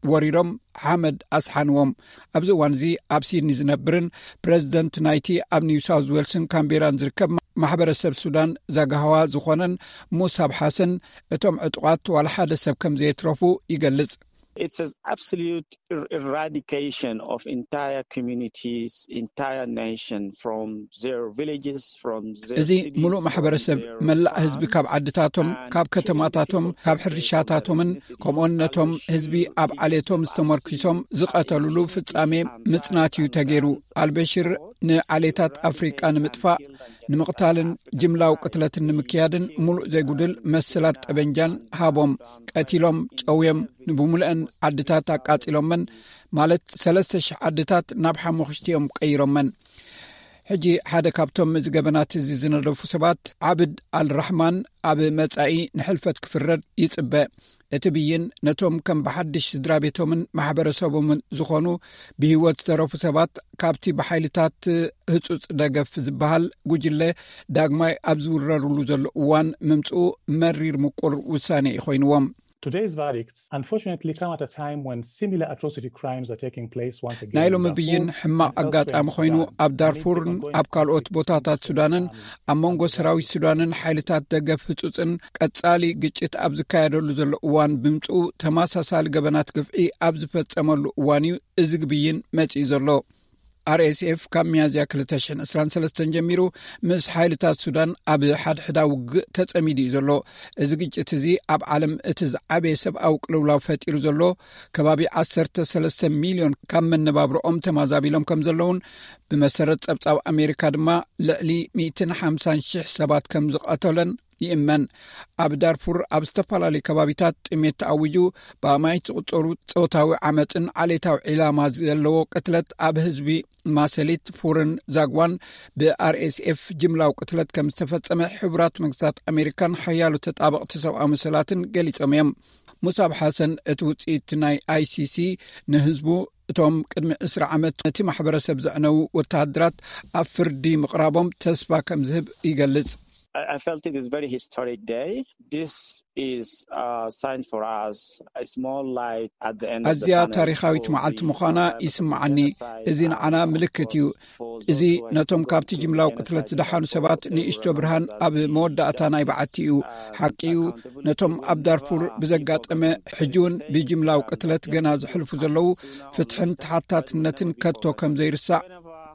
ወሪሮም ሓመድ ኣስሓንዎም። ኣብዚ እዋን እዚ ኣብ ሲድኒ ዝነብርን ፕረዚደንት ናይቲ ኣብ ኒው ሳውዝ ዌልስን ካምቤራን ዝርከብ ማሕበረሰብ ሱዳን ዛግሃዋ ዝኾነን ሙሳብ ሓሰን እቶም ዕጡቓት ዋላ ሓደ ሰብ ከም ዘየትረፉ ይገልጽ። It's an absolute er- eradication of entire communities, entire nation from their villages, from their እዚ cities, ሙሉእ from ማሕበረሰብ their መላእ ህዝቢ ካብ towns ዓድታቶም፣ and ካብ killing ከተማታቶም፣ people for ካብ the sake of ሕርሻታቶምን their ethnicity. ከምኡውን ነቶም Al-Bashir ህዝቢ ኣብ ዓሌቶም ዝተመርኪሶም ዝቐተሉሉ ፍጻሜ ምጽናት እዩ ተገይሩ። ኣልበሽር ንዓሌታት ኣፍሪቃ ንምጥፋእ፣ ንምቕታልን ጅምላዊ ቅትለትን ንምክያድን ሙሉእ ዘይጉድል መሰላት ጠበንጃን ሃቦም። ቀቲሎም፣ ጨውዮም፣ ንብሙልአን ዓድታት ኣቃጺሎመን፣ ማለት ሰለስተ ሽሕ ዓድታት ናብ ሓሙኽሽቲ እዮም ቀይሮመን። ሕጂ ሓደ ካብቶም እዚ ገበናት እዚ ዝነደፉ ሰባት ዓብድ ኣልራሕማን ኣብ መጻኢ ንሕልፈት ክፍረድ ይጽበ። እቲ ብይን ነቶም ከም ብሓድሽ ስድራ ቤቶምን ማሕበረሰቦምን ዝኾኑ ብህይወት ዝተረፉ ሰባት ካብቲ ብሓይልታት ህጹጽ ደገፍ ዝበሃል ጉጅለ ዳግማይ ኣብ ዝውረርሉ ዘሎ እዋን ምምጽኡ መሪር ምቁር ውሳኔ እዩ ኮይንዎም። Today's verdicts, unfortunately, come at a time when similar atrocity crimes are taking place once again. ናይ ሎሚ ብይን ሕማቕ ኣጋጣሚ ኮይኑ ኣብ ዳርፉርን ኣብ ካልኦት ቦታታት ሱዳንን ኣብ መንጎ ሰራዊት ሱዳንን ሓይልታት ደገፍ ህጹጽን ቀጻሊ ግጭት ኣብ ዝካየደሉ ዘሎ እዋን ብምጽኡ ተመሳሳሊ ገበናት ግፍዒ ኣብ ዝፈጸመሉ እዋን እዩ እዚ ብይን መጺኡ ዘሎ። ኣርኤስኤፍ ካብ ሚያዝያ ክልተ ሽሕን ዕስራን ሰለስተን ጀሚሩ ምስ ሓይልታት ሱዳን ኣብ ሓድሕዳ ውግእ ተጸሚዱ እዩ ዘሎ። እዚ ግጭት እዚ ኣብ ዓለም እቲ ዝዓበየ ሰብኣዊ ቅልውላው ፈጢሩ ዘሎ፣ ከባቢ ዓሰርተ ሰለስተ ሚልዮን ካብ መነባብሮኦም ተማዛቢሎም ከም ዘለውን ብመሰረት ጸብጻብ ኣሜሪካ ድማ ልዕሊ ሚእትን ሓምሳን ሽሕ ሰባት ከም ዝቐተለን ይእመን። ኣብ ዳርፉር ኣብ ዝተፈላለዩ ከባቢታት ጥሜት ተኣዊጁ ብኣማይት ዝቑጸሩ ጾታዊ ዓመፅን ዓሌታዊ ዒላማ ዘለዎ ቅትለት ኣብ ህዝቢ ማሰሊት ፉርን ዛግዋን ብኣርኤስኤፍ ጅምላዊ ቅትለት ከም ዝተፈጸመ ሕቡራት መንግስታት ኣሜሪካን ሓያሎ ተጣበቕቲ ሰብኣዊ መሰላትን ገሊጾም እዮም። ሙሳብ ሓሰን እቲ ውፅኢት ናይ ኣይሲሲ ንህዝቡ እቶም ቅድሚ ዕስራ ዓመት ነቲ ማሕበረሰብ ዘዕነዉ ወተሃደራት ኣብ ፍርዲ ምቕራቦም ተስፋ ከም ዝህብ ይገልጽ። I felt it is very historic day. This is a sign for us, a small light at the end of the ኣዝያ tunnel ታሪኻዊት for መዓልቲ the ምዃና survivors of ይስምዓኒ። genocide እዚ and ንዓና of ምልክት course እዩ። for እዚ those who are ነቶም still ካብቲ going through ጅምላዊ the ቅትለት genocide in ዝደሓኑ Darfur, ሰባት they will ንእሽቶ remember ብርሃን that ኣብ the መወዳእታ ናይ justice በዓቲ እዩ። and ሓቂ እዩ። accountability ነቶም ኣብ ዳርፉር never ብዘጋጠመ people in ሕጂውን safe ብጅምላዊ and ቅትለት ገና innocent ዝሕልፉ lives ዘለዉ sooner or ፍትሕን later. ተሓታትነትን ከቶ ከም ዘይርሳዕ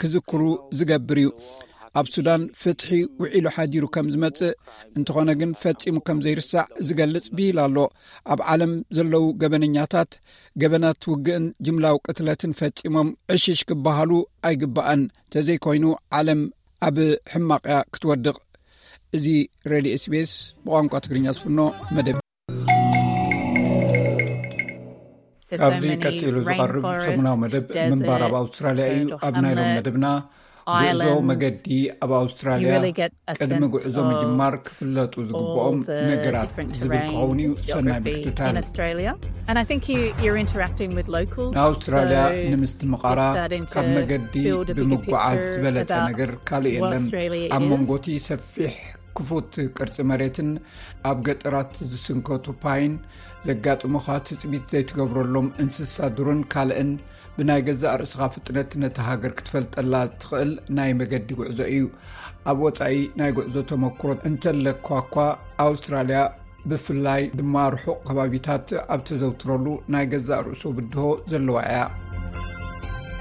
ክዝክሩ ዝገብር እዩ። ኣብ ሱዳን ፍትሒ ውዒሉ ሓዲሩ ከም ዝመጽእ፣ እንተኾነ ግን ፈጺሙ ከም ዘይርሳዕ ዝገልጽ ብሂል ኣሎ። ኣብ ዓለም ዘለዉ ገበነኛታት ገበናት ውግእን ጅምላዊ ቅትለትን ፈጺሞም ዕሽሽ ክበሃሉ ኣይግባእን። ተዘይኮይኑ ዓለም ኣብ ሕማቕያ ክትወድቕ። እዚ ሬድዮ ኤስቢኤስ ብቋንቋ ትግርኛ ዝፍኖ መደብ። ካብዚ ቀጺሉ ዝቐርብ ሰሙናዊ መደብ ምንባር ኣብ ኣውስትራልያ እዩ። ኣብ ናይ ሎም መደብና ጉዕዞ መገዲ ኣብ ኣውስትራልያ ቅድሚ ጉዕዞ ምጅማር ክፍለጡ ዝግብኦም ነገራት ዝብል ክኸውን እዩ። ሰናይ ምክትታል። ንኣውስትራልያ ንምስትምቓራ ካብ መገዲ ብምጓዓዝ ዝበለጸ ነገር ካልእ የለን። ኣብ መንጎቲ ሰፊሕ ክፉት ቅርጺ መሬትን ኣብ ገጠራት ዝስንከቱ ፓይን ዘጋጥሙኻ ትጽቢት ዘይትገብረሎም እንስሳ ዱርን ካልእን ብናይ ገዛእ ርእስኻ ፍጥነት ነታ ሃገር ክትፈልጠላ ትኽእል ናይ መገዲ ጉዕዞ እዩ። ኣብ ወጻኢ ናይ ጉዕዞ ተመክሮ እንተለኳ እኳ ኣውስትራልያ ብፍላይ ድማ ርሑቕ ከባቢታት ኣብ ተዘውትረሉ ናይ ገዛእ ርእሱ ብድሆ ዘለዋ እያ።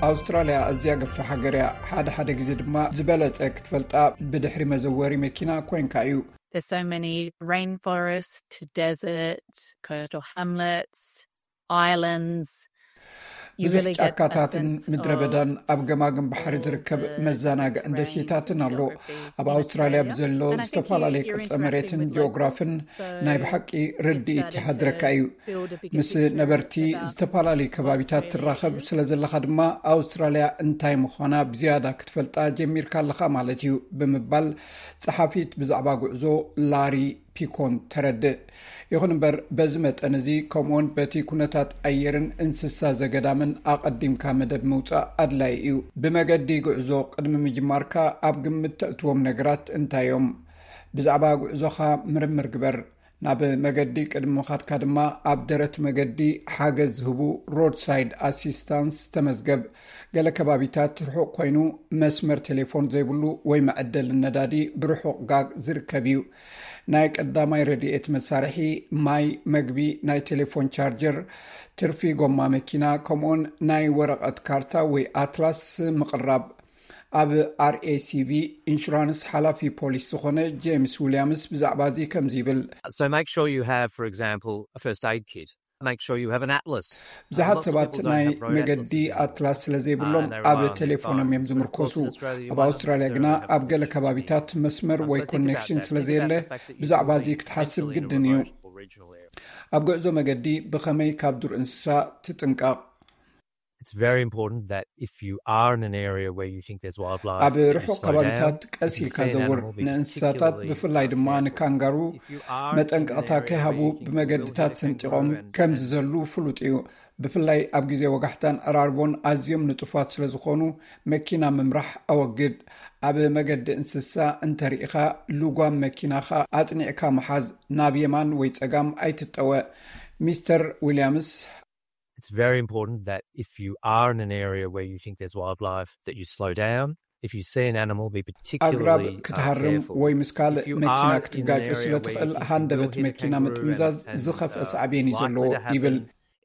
ኣውስትራልያ ኣዝያ ገፊሕ ሃገር እያ። ሓደ ሓደ ግዜ ድማ ዝበለጸ ክትፈልጣ ብድሕሪ መዘወሪ መኪና ኮይንካ እዩ። There's so many rainforest, desert, coastal hamlets, islands. ብዙሕ ጫካታትን ምድረ በዳን ኣብ ገማግም ባሕሪ ዝርከብ መዘናግዕን ደሴታትን ኣሎ። ኣብ ኣውስትራልያ ብዘሎ ዝተፈላለየ ቅርጸ መሬትን ጂኦግራፍን ናይ ብሓቂ ርድኢት ይሓድረካ እዩ። ምስ ነበርቲ ዝተፈላለዩ ከባቢታት ትራኸብ ስለ ዘለኻ ድማ ኣውስትራልያ እንታይ ምዃና ብዝያዳ ክትፈልጣ ጀሚርካ ኣለኻ ማለት እዩ ብምባል ጸሓፊት ብዛዕባ ጉዕዞ ላሪ ፒኮን ተረድእ። ይኹን እምበር በዚ መጠን እዚ ከምኡውን በቲ ኩነታት ኣየርን እንስሳ ዘገዳምን ኣቐዲምካ መደብ ምውጻእ ኣድላዪ እዩ። ብመገዲ ጉዕዞ ቅድሚ ምጅማርካ ኣብ ግምት ተእትዎም ነገራት እንታይ እዮም? ብዛዕባ ጉዕዞኻ ምርምር ግበር። ናብ መገዲ ቅድሚ ምኻድካ ድማ ኣብ ደረት መገዲ ሓገዝ ዝህቡ ሮድሳይድ ኣሲስታንስ ተመዝገብ። ገለ ከባቢታት ርሑቕ ኮይኑ መስመር ቴሌፎን ዘይብሉ ወይ መዐደሊ ነዳዲ ብርሑቕ ጋግ ዝርከብ እዩ። ናይ ቀዳማይ ረድኤት መሳርሒ፣ ማይ፣ መግቢ፣ ናይ ቴሌፎን ቻርጀር፣ ትርፊ ጎማ መኪና፣ ከምኡውን ናይ ወረቐት ካርታ ወይ ኣትላስ ምቕራብ። ኣብ ኣርኤሲቪ ኢንሹራንስ ሓላፊ ፖሊስ ዝኾነ ጄምስ ዊልያምስ ብዛዕባ እዚ ከምዚ ይብል። So make sure you have, for example, a first aid kit. Make sure you have an atlas. ብዙሓት ሰባት ናይ መገዲ ኣትላስ ስለ ዘይብሎም ኣብ ቴሌፎኖም እዮም ዝምርኮሱ። ኣብ ኣውስትራልያ ግና ኣብ ገለ ከባቢታት መስመር ወይ ኮኔክሽን ስለ ዘየለ ብዛዕባ እዚ ክትሓስብ ግድን እዩ። ኣብ ጉዕዞ መገዲ ብኸመይ ካብ ዱር እንስሳ ትጥንቀቕ? It's very important that if you are in an area where you think there's wildlife, ኣብ ርሑቕ ከባቢታት ቀስ ኢልካ ዘውር። ንእንስሳታት ብፍላይ ድማ ንካንጋሩ መጠንቀቕታ ከይሃቡ ብመገድታት ሰንጢቖም ከም ዝዘሉ ፍሉጥ እዩ። ብፍላይ ኣብ ግዜ ወጋሕታን ዕራርቦን ኣዝዮም ንጡፋት ስለ ዝኾኑ መኪና ምምራሕ ኣወግድ። ኣብ መገዲ እንስሳ እንተርኢኻ ልጓም መኪናኻ ኣጽኒዕካ ምሓዝ፣ ናብ የማን ወይ ጸጋም ኣይትጠወ። ሚስተር ዊልያምስ It's very important that if you are in an area where you think there's wildlife, that you slow down. If you see an animal, be particularly ኣግራብ ክትሃርም ወይ ምስ ካልእ መኪና ክትጋጩ ስለ ትኽእል ሃንደበት መኪና ምጥምዛዝ ዝኸፍአ ሳዕቤን እዩ ዘለዎ ይብል።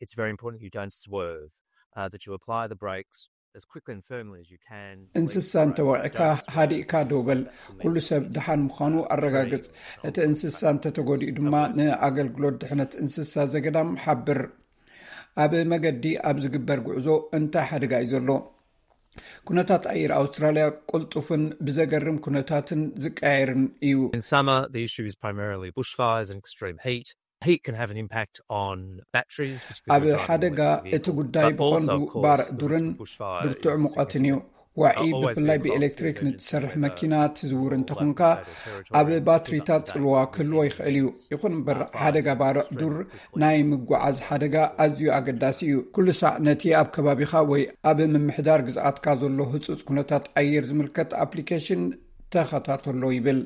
It's very important you don't swerve, uh, that you apply the brakes as quickly and firmly as you can. እንስሳ እንተወቂዕካ ሃዲእካ ደው በል። ኩሉ ሰብ ደሓን ምዃኑ ኣረጋግጽ። እቲ እንስሳ እንተተጎዲኡ ድማ ንኣገልግሎት ድሕነት እንስሳ ዘገዳም ሓብር። ኣብ መገዲ ኣብ ዝግበር ጉዕዞ እንታይ ሓደጋ እዩ ዘሎ? ኩነታት ኣየር ኣውስትራልያ ቅልጡፍን ብዘገርም ኩነታትን ዝቀያየርን እዩ። In summer, the issue is primarily bushfires and extreme heat. Heat can have an impact on batteries, particularly ኣብ ሓደጋ እቲ ጉዳይ ብቐንዱ ባርዕ ዱርን ብርቱዕ ሙቐትን እዩ። ዋዒ ብፍላይ ብኤሌክትሪክ ንትሰርሕ መኪና ትዝውር እንተኾንካ ኣብ ባትሪታት ጽልዋ ክህልዎ ይኽእል እዩ። ይኹን እምበር ሓደጋ ባርዕ ዱር ናይ ምጉዓዝ ሓደጋ ኣዝዩ ኣገዳሲ እዩ። ኩሉ ሳዕ ነቲ ኣብ ከባቢኻ ወይ ኣብ ምምሕዳር ግዝኣትካ ዘሎ ህጹጽ ኩነታት ኣየር ዝምልከት ኣፕሊኬሽን ተኸታተሎ ይብል።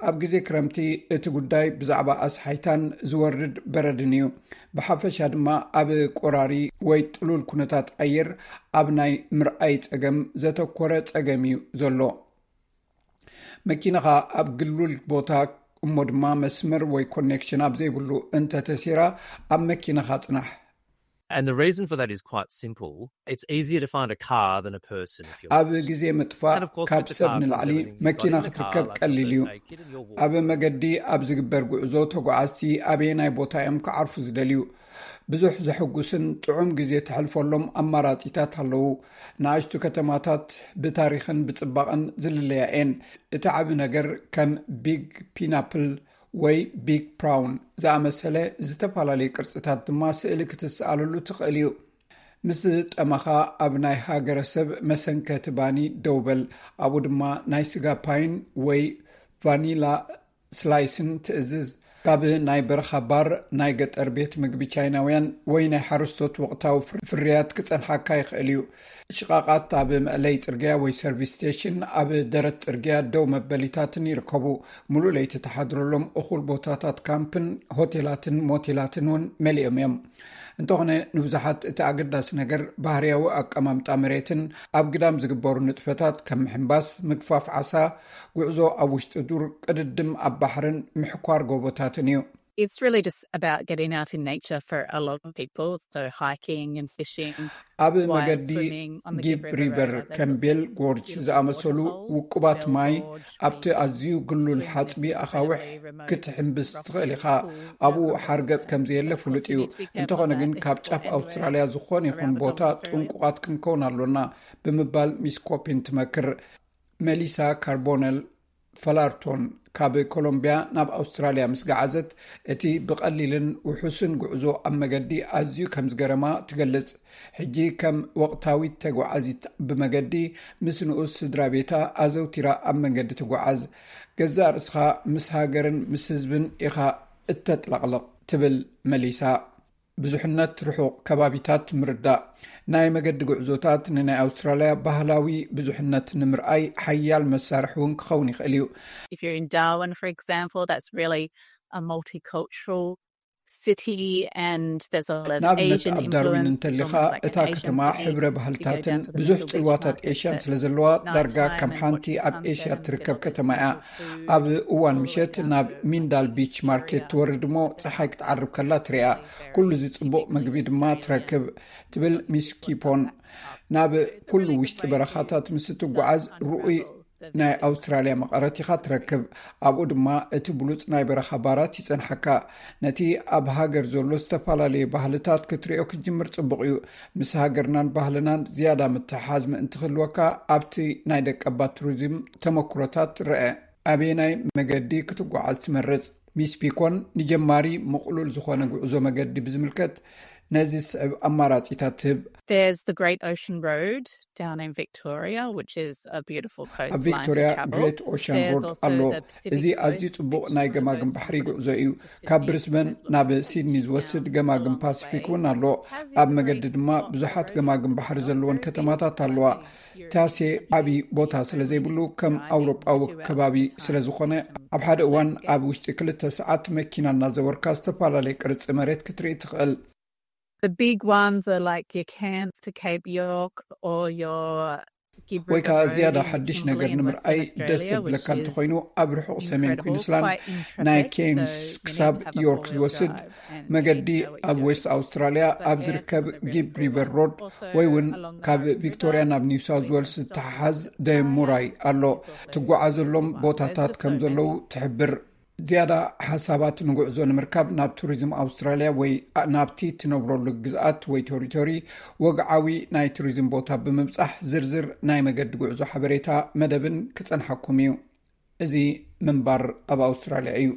ኣብ ግዜ ክረምቲ እቲ ጉዳይ ብዛዕባ ኣስሓይታን ዝወርድ በረድን እዩ። ብሓፈሻ ድማ ኣብ ቆራሪ ወይ ጥሉል ኩነታት ኣየር ኣብ ናይ ምርኣይ ጸገም ዘተኮረ ጸገም እዩ ዘሎ። መኪናኻ ኣብ ግሉል ቦታ እሞ ድማ መስመር ወይ ኮኔክሽን ኣብ ዘይብሉ እንተተሲራ ኣብ መኪናኻ ጽናሕ። And the reason for that is quite simple. It's easier to find a car than a person if you're ኣብ ግዜ ምጥፋእ ካብ ሰብ ንላዕሊ መኪና ክትርከብ ቀሊል እዩ። ኣብ መገዲ ኣብ ዝግበር ጉዕዞ ተጓዓዝቲ ኣበየናይ ቦታ እዮም ክዓርፉ ዝደልዩ? ብዙሕ ዘሐጉስን ጥዑም ግዜ ተሕልፈሎም ኣማራጺታት ኣለዉ። ንኣሽቱ ከተማታት ብታሪኽን ብጽባቐን ዝልለያ እየን። እቲ ዓቢ ነገር ከም ቢግ ፒናፕል ወይ ቢግ ፕራውን ዝኣመሰለ ዝተፈላለዩ ቅርጽታት ድማ ስእሊ ክትስኣለሉ ትኽእል እዩ። ምስ ጠማኻ ኣብ ናይ ሃገረሰብ መሰንከቲ ባኒ ደው በል። ኣብኡ ድማ ናይ ስጋ ፓይን ወይ ቫኒላ ስላይስን ትእዝዝ። ካብ ናይ በረኻ ባር፣ ናይ ገጠር ቤት ምግቢ ቻይናውያን ወይ ናይ ሓረስቶት ወቕታዊ ፍርያት ክጸንሓካ ይኽእል እዩ። ሽቓቓት ኣብ መእለይ ጽርግያ ወይ ሰርቪስ ስቴሽን ኣብ ደረት ጽርግያ ደው መበሊታትን ይርከቡ። ሙሉእ ለይቲ ተሓድረሎም እኹል ቦታታት ካምፕን ሆቴላትን ሞቴላትን እውን መሊኦም እዮም። እንተኾነ ንብዙሓት እቲ ኣገዳሲ ነገር ባህርያዊ ኣቀማምጣ መሬትን ኣብ ግዳም ዝግበሩ ንጥፈታት ከም ምሕንባስ፣ ምግፋፍ ዓሳ፣ ጉዕዞ ኣብ ውሽጢ ዱር፣ ቅድድም ኣብ ባሕርን ምሕኳር ጎቦታትን እዩ። It's really just about getting out in nature for a lot of people. So hiking and fishing. ኣብ መገዲ ጊብ ሪቨር ከም ቤል ጎርጅ ዝኣመሰሉ ውቁባት ማይ ኣብቲ ኣዝዩ ግሉል ሓጽቢ ኣኻውሕ ክትሕንብስ ትኽእል ኢኻ። ኣብኡ ሓርገጽ ከም ዘየለ ፍሉጥ እዩ። እንተኾነ ግን ካብ ጫፍ ኣውስትራልያ ዝኾነ ይኹን ቦታ ጥንቁቓት ክንከውን ኣሎና ብምባል ሚስ ኮፒን ትመክር። መሊሳ ካርቦነል ፈላርቶን ካብ ኮሎምቢያ ናብ ኣውስትራልያ ምስ ገዓዘት እቲ ብቐሊልን ውሑስን ጉዕዞ ኣብ መገዲ ኣዝዩ ከም ዝገረማ ትገልጽ። ሕጂ ከም ወቕታዊት ተጓዓዚት ብመገዲ ምስ ንኡስ ስድራ ቤታ ኣዘውቲራ ኣብ መንገዲ ትጓዓዝ። ገዛእ ርእስኻ ምስ ሃገርን ምስ ህዝብን ኢኻ እተጥለቕልቕ ትብል መሊሳ። ብዙሕነት ርሑቕ ከባቢታት ምርዳእ ናይ መገዲ ጉዕዞታት ንናይ ኣውስትራልያ ባህላዊ ብዙሕነት ንምርኣይ ሓያል መሳርሒ እውን ክኸውን ይኽእል እዩ። If you're in Darwin, for example, that's really a multicultural city, and there's a lot of ንኣብነት Asian ኣብ ዳርዊን influence. It's እንተሊኻ almost like እታ an Asian ከተማ city. ሕብረ You go ባህልታትን down to the ብዙሕ little beach ጽልዋታት market ኤሽያን at ስለ ዘለዋ night ዳርጋ time ከም and ሓንቲ watch the ኣብ sunset ኤሽያ and ትርከብ get ከተማ this እያ። beautiful food ኣብ እዋን all the way ምሸት down ናብ to the ሚንዳል ቢች ማርኬት area. ትወርድ እሞ ጸሓይ ክትዓርብ ከላ ትሪኣ። ኩሉ እዚ ጽቡቕ ምግቢ ድማ ትረክብ፣ ትብል ሚስ ኪፖን። ናብ ኩሉ ውሽጢ በረኻታት ምስ ትጓዓዝ ርኡይ ናይ ኣውስትራልያ መቐረት ኢኻ ትረክብ። ኣብኡ ድማ እቲ ብሉጽ ናይ በረኻ ባራት ይጸንሓካ። ነቲ ኣብ ሃገር ዘሎ ዝተፈላለየ ባህልታት ክትሪኦ ክትጅምር ጽቡቕ እዩ። ምስ ሃገርናን ባህልናን ዝያዳ ምትሕሓዝ ምእንቲ ክህልወካ ኣብቲ ናይ ደቀባት ቱሪዝም ተመክሮታት ርአ። ኣበየናይ መገዲ ክትጓዓዝ ትመርጽ? ሚስ ፒኮን ንጀማሪ ምቕሉል ዝኾነ ጉዕዞ መገዲ ብዝምልከት ነዚ ዝስዕብ ኣማራጺታት ትህብ። There's the Great Ocean Road down in Victoria, which is a beautiful coastline ኣብ ቪክቶሪያ to travel. ግሬት ኦሽን There's ሮድ also ኣሎ። the Pacific እዚ ኣዝዩ Coast, ጽቡቕ which is ናይ one of the ገማግም most ባሕሪ popular ጉዕዞ cities እዩ። to Sydney. ካብ ብሪስበን There's ናብ lots of ሲድኒ beaches ዝወስድ along the ገማግም way. ፓሲፊክ እውን ኣሎ። Tassie is ኣብ a መገዲ very ድማ historic ብዙሓት area. ገማግም ባሕሪ It's ዘለወን very ከተማታት big, ኣለዋ። huge ታሴ ዓቢ ቦታ ስለ ዘይብሉ ከም ኣውሮጳዊ ከባቢ ስለ ዝኾነ ኣብ ሓደ እዋን ኣብ ውሽጢ ክልተ ሰዓት መኪና እናዘወርካ ዝተፈላለየ ቅርጺ መሬት ክትርኢ ትኽእል። The big ones are like your Cairns to Cape York or your Gibb ወይ River ከዓ Road ዝያዳ in ሓድሽ ነገር Kimberley in ንምርኣይ Western ደስ Australia, which ዝብለካ is እንተኾይኑ ኣብ ርሑቕ ሰሜን incredible, ኩንስላንድ quite ናይ intrepid. ኬንስ So you need ክሳብ to have a ዮርክ four-wheel ዝወስድ drive and you መገዲ need to know what ኣብ you're ዌስት doing. ኣውስትራልያ But ኣብ there's ዝርከብ some of the really ጊብ cool ሪቨር ones. ሮድ Also ወይ እውን along the ካብ Pacific ቪክቶሪያ Coast, ናብ ኒው ሳውዝ big ዌልስ stops ዝተሓዝ by ደሙራይ ኣሎ። There's also ትጓዓዘሎም really cool ones. ቦታታት There's ከም just so ዘለዉ many. ትሕብር። ዝያዳ ሓሳባት ንጉዕዞ ንምርካብ ናብ ቱሪዝም ኣውስትራልያ ወይ ናብቲ ትነብረሉ ግዝኣት ወይ ቴሪቶሪ ወግዓዊ ናይ ቱሪዝም ቦታ ብምብጻሕ ዝርዝር ናይ መገዲ ጉዕዞ ሓበሬታ መደብን ክጸንሓኩም እዩ። እዚ ምንባር ኣብ ኣውስትራልያ እዩ።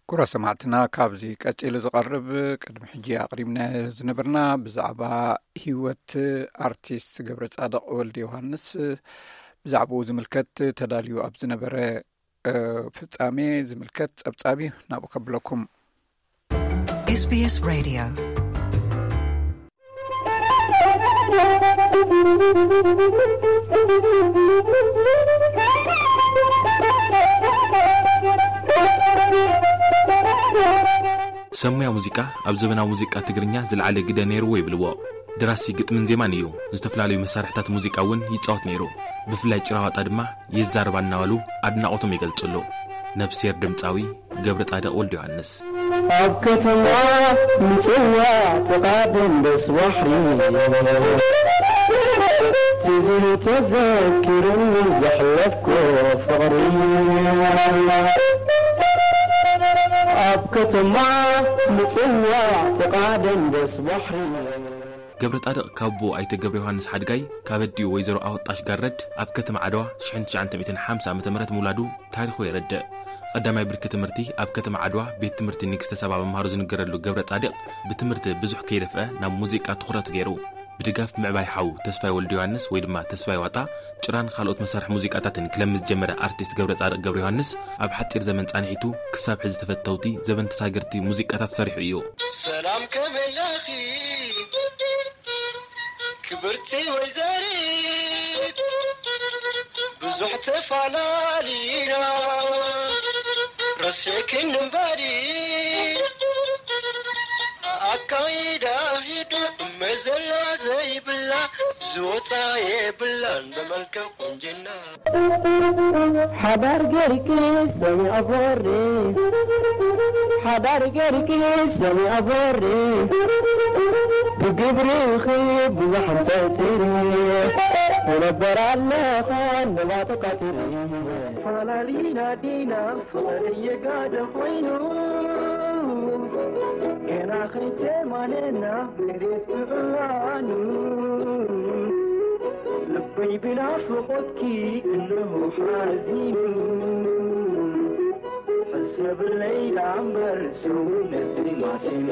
ኩራ ሰማዕትና፣ ካብዚ ቀጺሉ ዝቐርብ ቅድሚ ሕጂ ኣቕሪብና ዝነበርና ብዛዕባ ህይወት ኣርቲስት ገብረ ጻድቕ ወልደ ዮሃንስ፣ ብዛዕባኡ ዝምልከት ተዳልዩ ኣብ ዝነበረ፣ እ፣ ፍጻሜ ዝምልከት ጸብጻብ እዩ ናብኡ ከብለኩም። SBS Radio። ሰብ ሞያ ሙዚቃ ኣብ ዘበናዊ ሙዚቃ ትግርኛ ዝለዓለ ግደ ነይርዎ ይብልዎ። ደራሲ ግጥምን ዜማን እዩ። ዝተፈላለዩ መሳርሕታት ሙዚቃ እውን ይጻወት ነይሩ። ብፍላይ ጭራዋጣ ድማ ይዛረባ እናበሉ ኣድናቖቶም ይገልጽሉ። ነብስሄር ድምጻዊ ገብረ ጻድቕ ወልደ ዮሃንስ። ኣብ ከተማ ምጽዋዕ ጥቓ ደንበስ ባሕሪ ትዝን ተዘኪሩኒ ዘሕለፍኮ ፍቕሪ። ኣብ ከተማ ምጽዋዕ ጥቓ ደንበስ ባሕሪ። ገብረ ጻድቕ ካብ ኣቦኡ ኣይተ ገብረ ዮሃንስ ሓድጋይ፣ ካብ ኣዲኡ ወይዘሮ ኣወጣሽ ጋረድ ኣብ ከተማ ዓድዋ ሽሕን ትሽዓተ ሚእትን ሓምሳ ዓመተ ምህረት ምውላዱ ታሪኹ የረድእ። ቀዳማይ ብርኪ ትምህርቲ ኣብ ከተማ ዓድዋ ቤት ትምህርቲ ንግስተ ሳባ ምምሃሩ ዝንገረሉ ገብረ ጻድቕ፣ ብትምህርቲ ብዙሕ ከይደፍአ ናብ ሙዚቃ ትኹረቱ ገይሩ። ብድጋፍ ምዕባይ ሓው ተስፋይ ወልደ ዮሃንስ ወይ ድማ ተስፋይ ዋጣ፣ ጭራን ካልኦት መሳርሒ ሙዚቃታትን ክለምድ ዝጀመረ ኣርቲስት ገብረ ጻድቕ ገብረ ዮሃንስ፣ ኣብ ሓጺር ዘመን ጻንሒቱ ክሳብ ሕዚ ተፈተውቲ ዘበን ተሳገርቲ ሙዚቃታት ሰሪሑ እዩ። ሰላም ከመይ ኣለኺ ክብርቲ ወይዘሪት፣ ብዙሕ ተፋላሊና ረሲዕክን እምበሪ፣ ኣካይዳ ሂዱ እመዘላ ዘይብላ ዝወፃ የብላን ብመልክዕ ቁንጅና። ሓዳር ገርኪ ሰሚዐ ቦሪ፣ ሓዳር ገርኪ ሰሚዐ ቦሪ፣ ብግብርኺ ብዙሕ እንተትሪ፣ ትነበር ኣለኻ ነባጥቃትሪ። ፋላሊና ዲና ፍቕሪ የጋደ ኮይኑ፣ ገና ኸይተማነና መሬት ብዕዋኑ፣ ልበይ ብናፍቖትኪ እንሆ ሓዚኑ፣ ሕሰብለይ ደኣ እምበር ሰውነተይ ማሲኑ።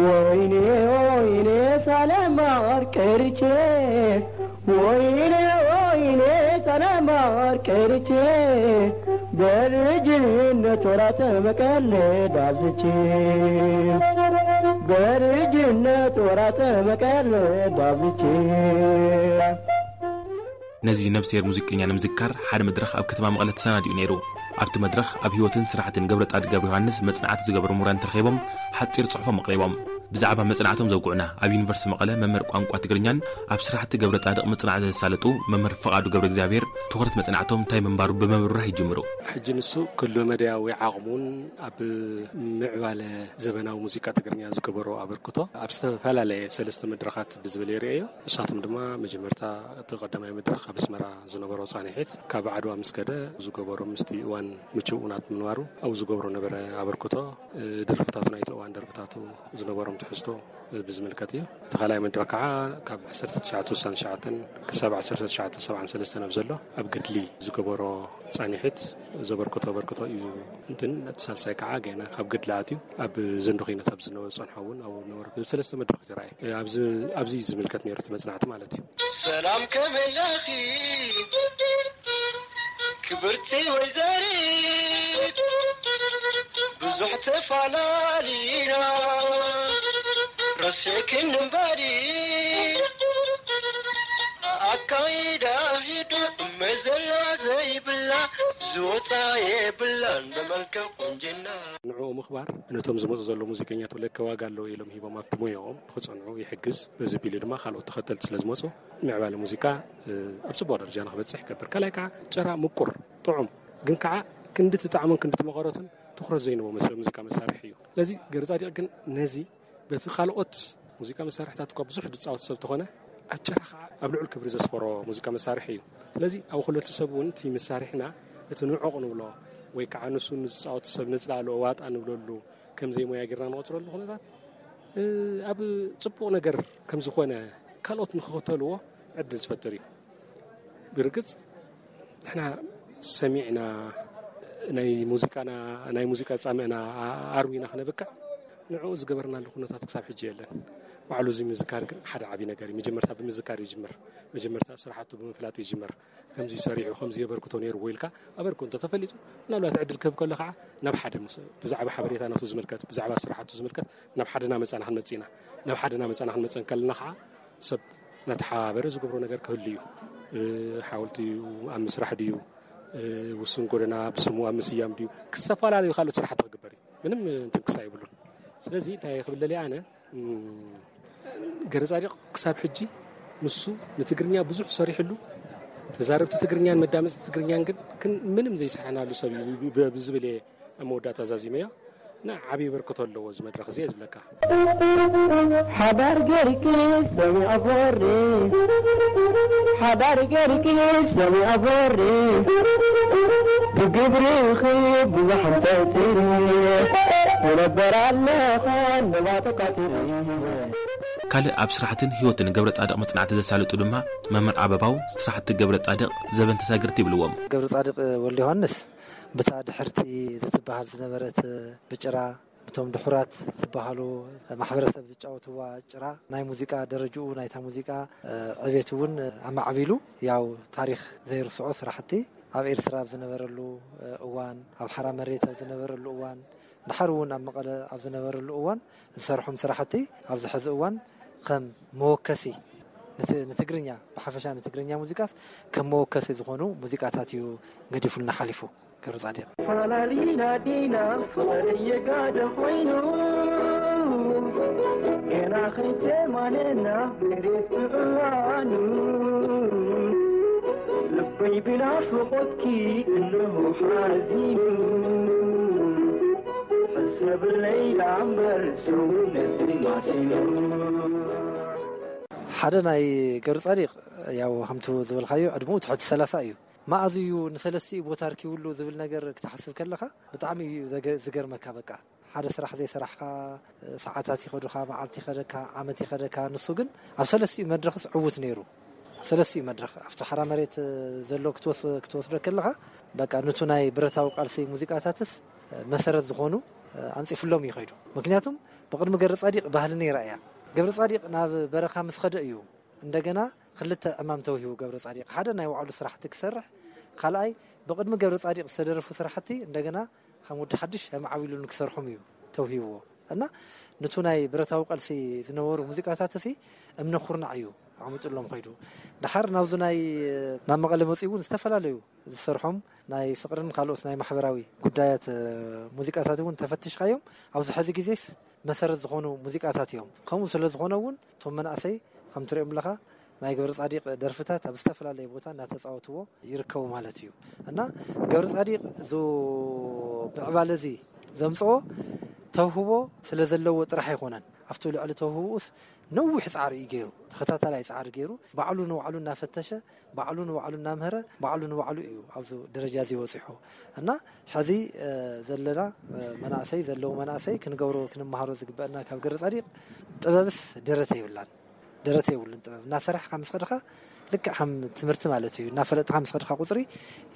ወይኔ ወይኔ ሳለማር ቀርቼ፣ ወይኔ ወይኔ ሳለማር ቀርቼ፣ በልጅነት ወራት መቀለድ አብዝቼ፣ በልጅነት ወራት መቀለድ አብዝቼ። ነዚ ነብስሄር ሙዚቀኛ ንምዝካር ሓደ መድረኽ ኣብ ከተማ መቐለ ተሰናዲኡ ነይሩ። ኣብቲ መድረኽ ኣብ ህይወትን ስራሕትን ገብረ ጻድቅ ገብረ ዮሃንስ መጽናዕቲ ዝገበሩ ምሁራን ተረኺቦም ሓጺር ጽሑፎም ኣቕሪቦም። ብዛዕባ መጽናዕቶም ዘውግዑና ኣብ ዩኒቨርሲቲ መቐለ መምህር ቋንቋ ትግርኛን ኣብ ስራሕቲ ገብረ ጻድቕ መጽናዕቲ ዘሳለጡ መምህር ፍቓዱ ገብረ እግዚኣብሔር ትኹረት መጽናዕቶም እንታይ ምንባሩ ብምብራህ ይጅምሩ። ሕጂ ንሱ ኩሉ መዳያዊ ዓቕሙን ኣብ ምዕባለ ዘበናዊ ሙዚቃ ትግርኛ ዝገበሮ ኣበርክቶ ኣብ ዝተፈላለየ ሰለስተ መድረኻት ብዝብል የርእዮ። ንሳቶም ድማ መጀመርታ እቲ ቀዳማይ መድረኽ ኣብ ኣስመራ ዝነበሮ ጻንሒት ካብ ዓድዋ ምስ ከደ ዝገበሮ ምስቲ እዋን ምቹእ ናት ምንባሩ ኣብኡ ዝገብሮ ነበረ ኣበርክቶ፣ ደርፍታቱ ናይቲ እዋን ደርፍታቱ ዝነበሮም ትሕዝቶ ብዝምልከት እዩ። እቲ ካልኣይ መድረኽ ከዓ ካብ ዓሰርተ ትሽዓተ ስሳን ትሽዓተን ክሳብ ዓሰርተ ትሽዓተ ሰብዓን ሰለስተን ኣብ ዘሎ ኣብ ገድሊ ዝገበሮ ጻንሒት ዘበርክቶ ኣበርክቶ እዩ። እንትን እቲ ሳልሳይ ከዓ ገና ካብ ገድሊ ኣትዩ ኣብ ዘንዶ ኺነት ኣብ ዝነበረ ጸንሖ እውን ኣብኡ ነበረ። ብሰለስተ መድረኽ ይረኣየ። ኣብዚ ኣብዚ ዝምልከት ነይሩ እቲ መጽናዕቲ ማለት እዩ። ሰላም ከመለኺ ክብርቲ ወይዘሪት ብዙሕ ተፋላሊና ረሴክን እምባዲ ኣካይዳ ሂዱ መዘላ ዘይብላ ዝወፃ የብላን በመልክዕ ቁንጅና። ንዕኡ ምኽባር ነቶም ዝመፁ ዘለዉ ሙዚቀኛት ለከ ዋጋ ኣለዎ ኢሎም ሂቦም ኣብቲ ሙያኦም ንኽፀንዑ ይሕግዝ። በዚ ቢሉ ድማ ካልኦት ተኸተልቲ ስለ ዝመፁ ምዕባለ ሙዚቃ ኣብ ፅቡቕ ደረጃ ንኽበፅሕ ይገብር። ካልኣይ ከዓ ጭራ ምቁር ጥዑም ግን ከዓ ክንዲ ትጣዕሙን ክንዲ ትመቐረቱን ትኹረት ዘይንቦ መስ ሙዚቃ መሳርሒ እዩ። ስለዚ ገብረፃዲቕ ግን ነዚ በቲ ካልኦት ሙዚቃ መሳርሕታት እኳ ብዙሕ ዝፃወት ሰብ ተኾነ ኣብ ጭራ ከዓ ኣብ ልዑል ክብሪ ዘስፈሮ ሙዚቃ መሳርሒ እዩ። ስለዚ ኣብ ኩለቱ ሰብ እውን እቲ መሳርሕና እቲ ንዑቕ ንብሎ ወይ ከዓ ንሱ ንዝፃወቱ ሰብ ነፅላእሉ ዋጣ ንብለሉ ከም ዘይሞያ ጌርና ንቆፅረሉ ኩነታት ኣብ ፅቡቕ ነገር ከም ዝኾነ ካልኦት ንክኽተልዎ ዕድል ዝፈጥር እዩ። ብርግፅ ንሕና ሰሚዕና ናይ ሙዚቃና ናይ ሙዚቃ ፃምእና ኣርዊና ክነብቅዕ ንዕኡ ዝገበርናሉ ኩነታት ክሳብ ሕጂ የለን። ባዕሉ እዚ ምዝካር ግን ሓደ ዓብዪ ነገር እዩ። መጀመርታ ብምዝካር ይጅምር። መጀመርታ ስራሕቱ ብምፍላጥ ይጅምር። ከምዚ ሰሪሑ ከምዚ የበርክቶ ነይሩ ወይ ኢልካ ኣበርክቶ እንተተፈሊጡ ምናልባት ዕድል ክህብ ከሎ ከዓ ናብ ሓደ ምስ ብዛዕባ ሓበሬታ ናቱ ዝምልከት ብዛዕባ ስራሕቱ ዝምልከት ናብ ሓደና መፃና ክንመፅእ ኢና። ናብ ሓደና መፃና ክንመፅእ እንከለና ከዓ ሰብ እናተሓባበረ ዝገብሮ ነገር ክህሉ እዩ። ሓወልቲ ኣብ ምስራሕ ድዩ፣ ውሱን ጎደና ብስሙ ኣብ ምስያም ድዩ፣ ዝተፈላለዩ ካልኦት ስራሕቲ ክግበር እዩ። ምንም እንትንክሳ ይብሉን። ስለዚ እንታይ ክብለል ኣነ ገረፃዲቕ ክሳብ ሕጂ ንሱ ንትግርኛ ብዙሕ ሰሪሕሉ ተዛረብቲ ትግርኛን መዳመፅቲ ትግርኛን ግን ምንም ዘይሰራሕናሉ ሰብ እዩ ብዝብል እየ ኣብ መወዳእታ ዛዚመዮ። እና ዓብዪ በርክቶ ኣለዎ እዚ መድረኽ እዚ እየ ዝብለካ። ሓዳር ገርኪ ሰሚዐ ፈሪ ሓዳር ገርኪ ሰሚዐ ፈሪ ብግብርኺ ብዙሕ እንተትሪ ይነበር ኣለኻ ነባተካትሪ። ካልእ ኣብ ስራሕትን ህይወትን ገብረ ፃድቕ መፅናዕቲ ዘሳልጡ ድማ መምህር ኣበባው ስራሕቲ ገብረ ፃድቕ ዘበን ተሳግርቲ ይብልዎም። ገብረ ፃድቕ ወልደ ዮሃንስ ብታ ድሕርቲ ዝትበሃል ዝነበረት ብጭራ ብቶም ድሑራት ዝበሃሉ ማሕበረሰብ ዝጫወትዋ ጭራ ናይ ሙዚቃ ደረጅኡ ናይታ ሙዚቃ ዕቤት እውን ኣማዕቢሉ ያው ታሪክ ዘይርስዖ ስራሕቲ ኣብ ኤርትራ ኣብ ዝነበረሉ እዋን ኣብ ሓራ መሬት ኣብ ዝነበረሉ እዋን ድሓር እውን ኣብ መቐለ ኣብ ዝነበረሉ እዋን ዝሰርሖም ስራሕቲ ኣብዚ ሕዚ እዋን ከም መወከሲ ንትግርኛ ብሓፈሻ ንትግርኛ ሙዚቃት ከም መወከሲ ዝኾኑ ሙዚቃታት እዩ ገዲፉልና ሓሊፉ። ገብረጻድቕ። ፈላሊና ዲና ፍቕሪ የጋደ ኮይኑ ገና ከይተማነና መሬት ብዕዋኑ ልበይ ብናፍቖትኪ እንሆ ሓዚኑ ሕሰብለይ ደኣ እምበር ሰውነተይ ማሲኑ። ሓደ ናይ ገብረጻድቕ ያው ከምቱ ዝበልካዮ ዕድመኡ ትሕቲ ሰላሳ እዩ። መኣዝ እዩ ንሰለስቲኡ ቦታ ኣርኪቡሉ ዝብል ነገር ክትሓስብ ከለኻ ብጣዕሚ እዩ ዝገርመካ። በቃ ሓደ ስራሕ ዘይሰራሕካ ሰዓታት ይኸዱኻ፣ መዓልቲ ይኸደካ፣ ዓመት ይኸደካ። ንሱ ግን ኣብ ሰለስቲኡ መድረኽስ ዕዉት ነይሩ። ኣብ ሰለስቲኡ መድረኽ ኣብቲ ሓራ መሬት ዘሎ ክትወስዶ ከለኻ በቃ ንቱ ናይ ብረታዊ ቃልሲ ሙዚቃታትስ መሰረት ዝኾኑ ኣንፂፍሎም እዩ ከይዱ። ምክንያቱም ብቅድሚ ገብረ ፃዲቅ ባህሊ ነይራ እያ። ገብረ ፃዲቅ ናብ በረኻ ምስ ኸደ እዩ እንደገና ክልተ ዕማም ተውሂቡ ገብረ ፃዲቅ ሓደ ናይ ባዕሉ ስራሕቲ ክሰርሕ፣ ካልኣይ ብቅድሚ ገብረ ፃዲቅ ዝተደረፉ ስራሕቲ እንደገና ከም ወዲ ሓድሽ ኣማዕቢሉ ንክሰርሖም እዩ ተውሂብዎ እና ንቱ ናይ ብረታዊ ቃልሲ ዝነበሩ ሙዚቃታት ሲ እምነ ኩርናዕ እዩ። ኣቐሚጡሎም ኸይዱ። ድሓር ናብዚ ናይ ናብ መቐለ መፂኡ እውን ዝተፈላለዩ ዝሰርሖም ናይ ፍቕርን ካልኦት ናይ ማሕበራዊ ጉዳያት ሙዚቃታት እውን ተፈትሽካዮም ኣብዚ ሕዚ ግዜስ መሰረት ዝኾኑ ሙዚቃታት እዮም። ከምኡ ስለ ዝኾነ እውን እቶም መናእሰይ ከም ትሪኦም ኣለኻ ናይ ገብረ ጻዲቕ ደርፍታት ኣብ ዝተፈላለየ ቦታ እናተፃወትዎ ይርከቡ ማለት እዩ። እና ገብረ ጻዲቕ ዞ ምዕባለ እዚ ዘምፅኦ ተውህቦ ስለ ዘለዎ ጥራሕ ኣይኮነን። ኣብቲ ልዕሊ ተውህቦኡስ ነዊሕ ፃዕሪ እዩ ገይሩ፣ ተኸታታላይ ፃዕሪ ገይሩ፣ ባዕሉ ንባዕሉ እናፈተሸ፣ ባዕሉ ንባዕሉ እናምሀረ፣ ባዕሉ ንባዕሉ እዩ ኣብዚ ደረጃ እዚ በፂሑ። እና ሕዚ ዘለና መናእሰይ፣ ዘለዉ መናእሰይ ክንገብሮ ክንመሃሮ ዝግበአና ካብ ገረ ፃዲቕ፣ ጥበብስ ደረተ የብላን። ደረተ የብሉን። ጥበብ እናሰራሕካ ምስ ከድኻ ልክዕ ከም ትምህርቲ ማለት እዩ። እናፈለጥካ ምስ ከድካ ቁፅሪ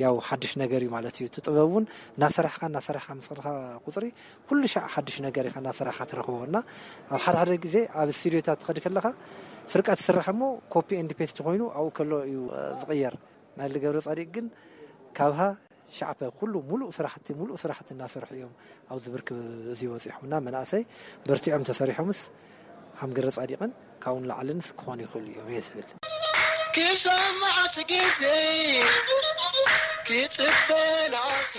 ያው ሓድሽ ነገር እዩ ማለት እዩ። እቲ ጥበብ እውን እናሰራሕካ እናሰራሕካ ምስ ከድካ ቁፅሪ ኩሉ ሻዕ ሓድሽ ነገር ኢኻ እናሰራሕካ ትረኽቦ። እና ኣብ ሓደ ሓደ ግዜ ኣብ ስቱዲዮታት ትኸድ ከለኻ ፍርቃ ትስራሕ እሞ ኮፒ ኤንድ ፔስት ኮይኑ ኣብኡ ከሎ እዩ ዝቕየር። ናይ ልገብረ ጻዲቅ ግን ካብሃ ሻዕበ ኩሉ ሙሉእ ስራሕቲ ሙሉእ ስራሕቲ እናሰርሑ እዮም ኣብዚ ብርክ እዚ በፂሖምና። መናእሰይ በርቲዖም ተሰሪሖምስ ከም ገረ ጻዲቕን ካብኡ ንላዕልንስ ክኾኑ ይኽእሉ እዮም እየ ዝብል። ክሰማዕት ግዜ ክፅበላኪ።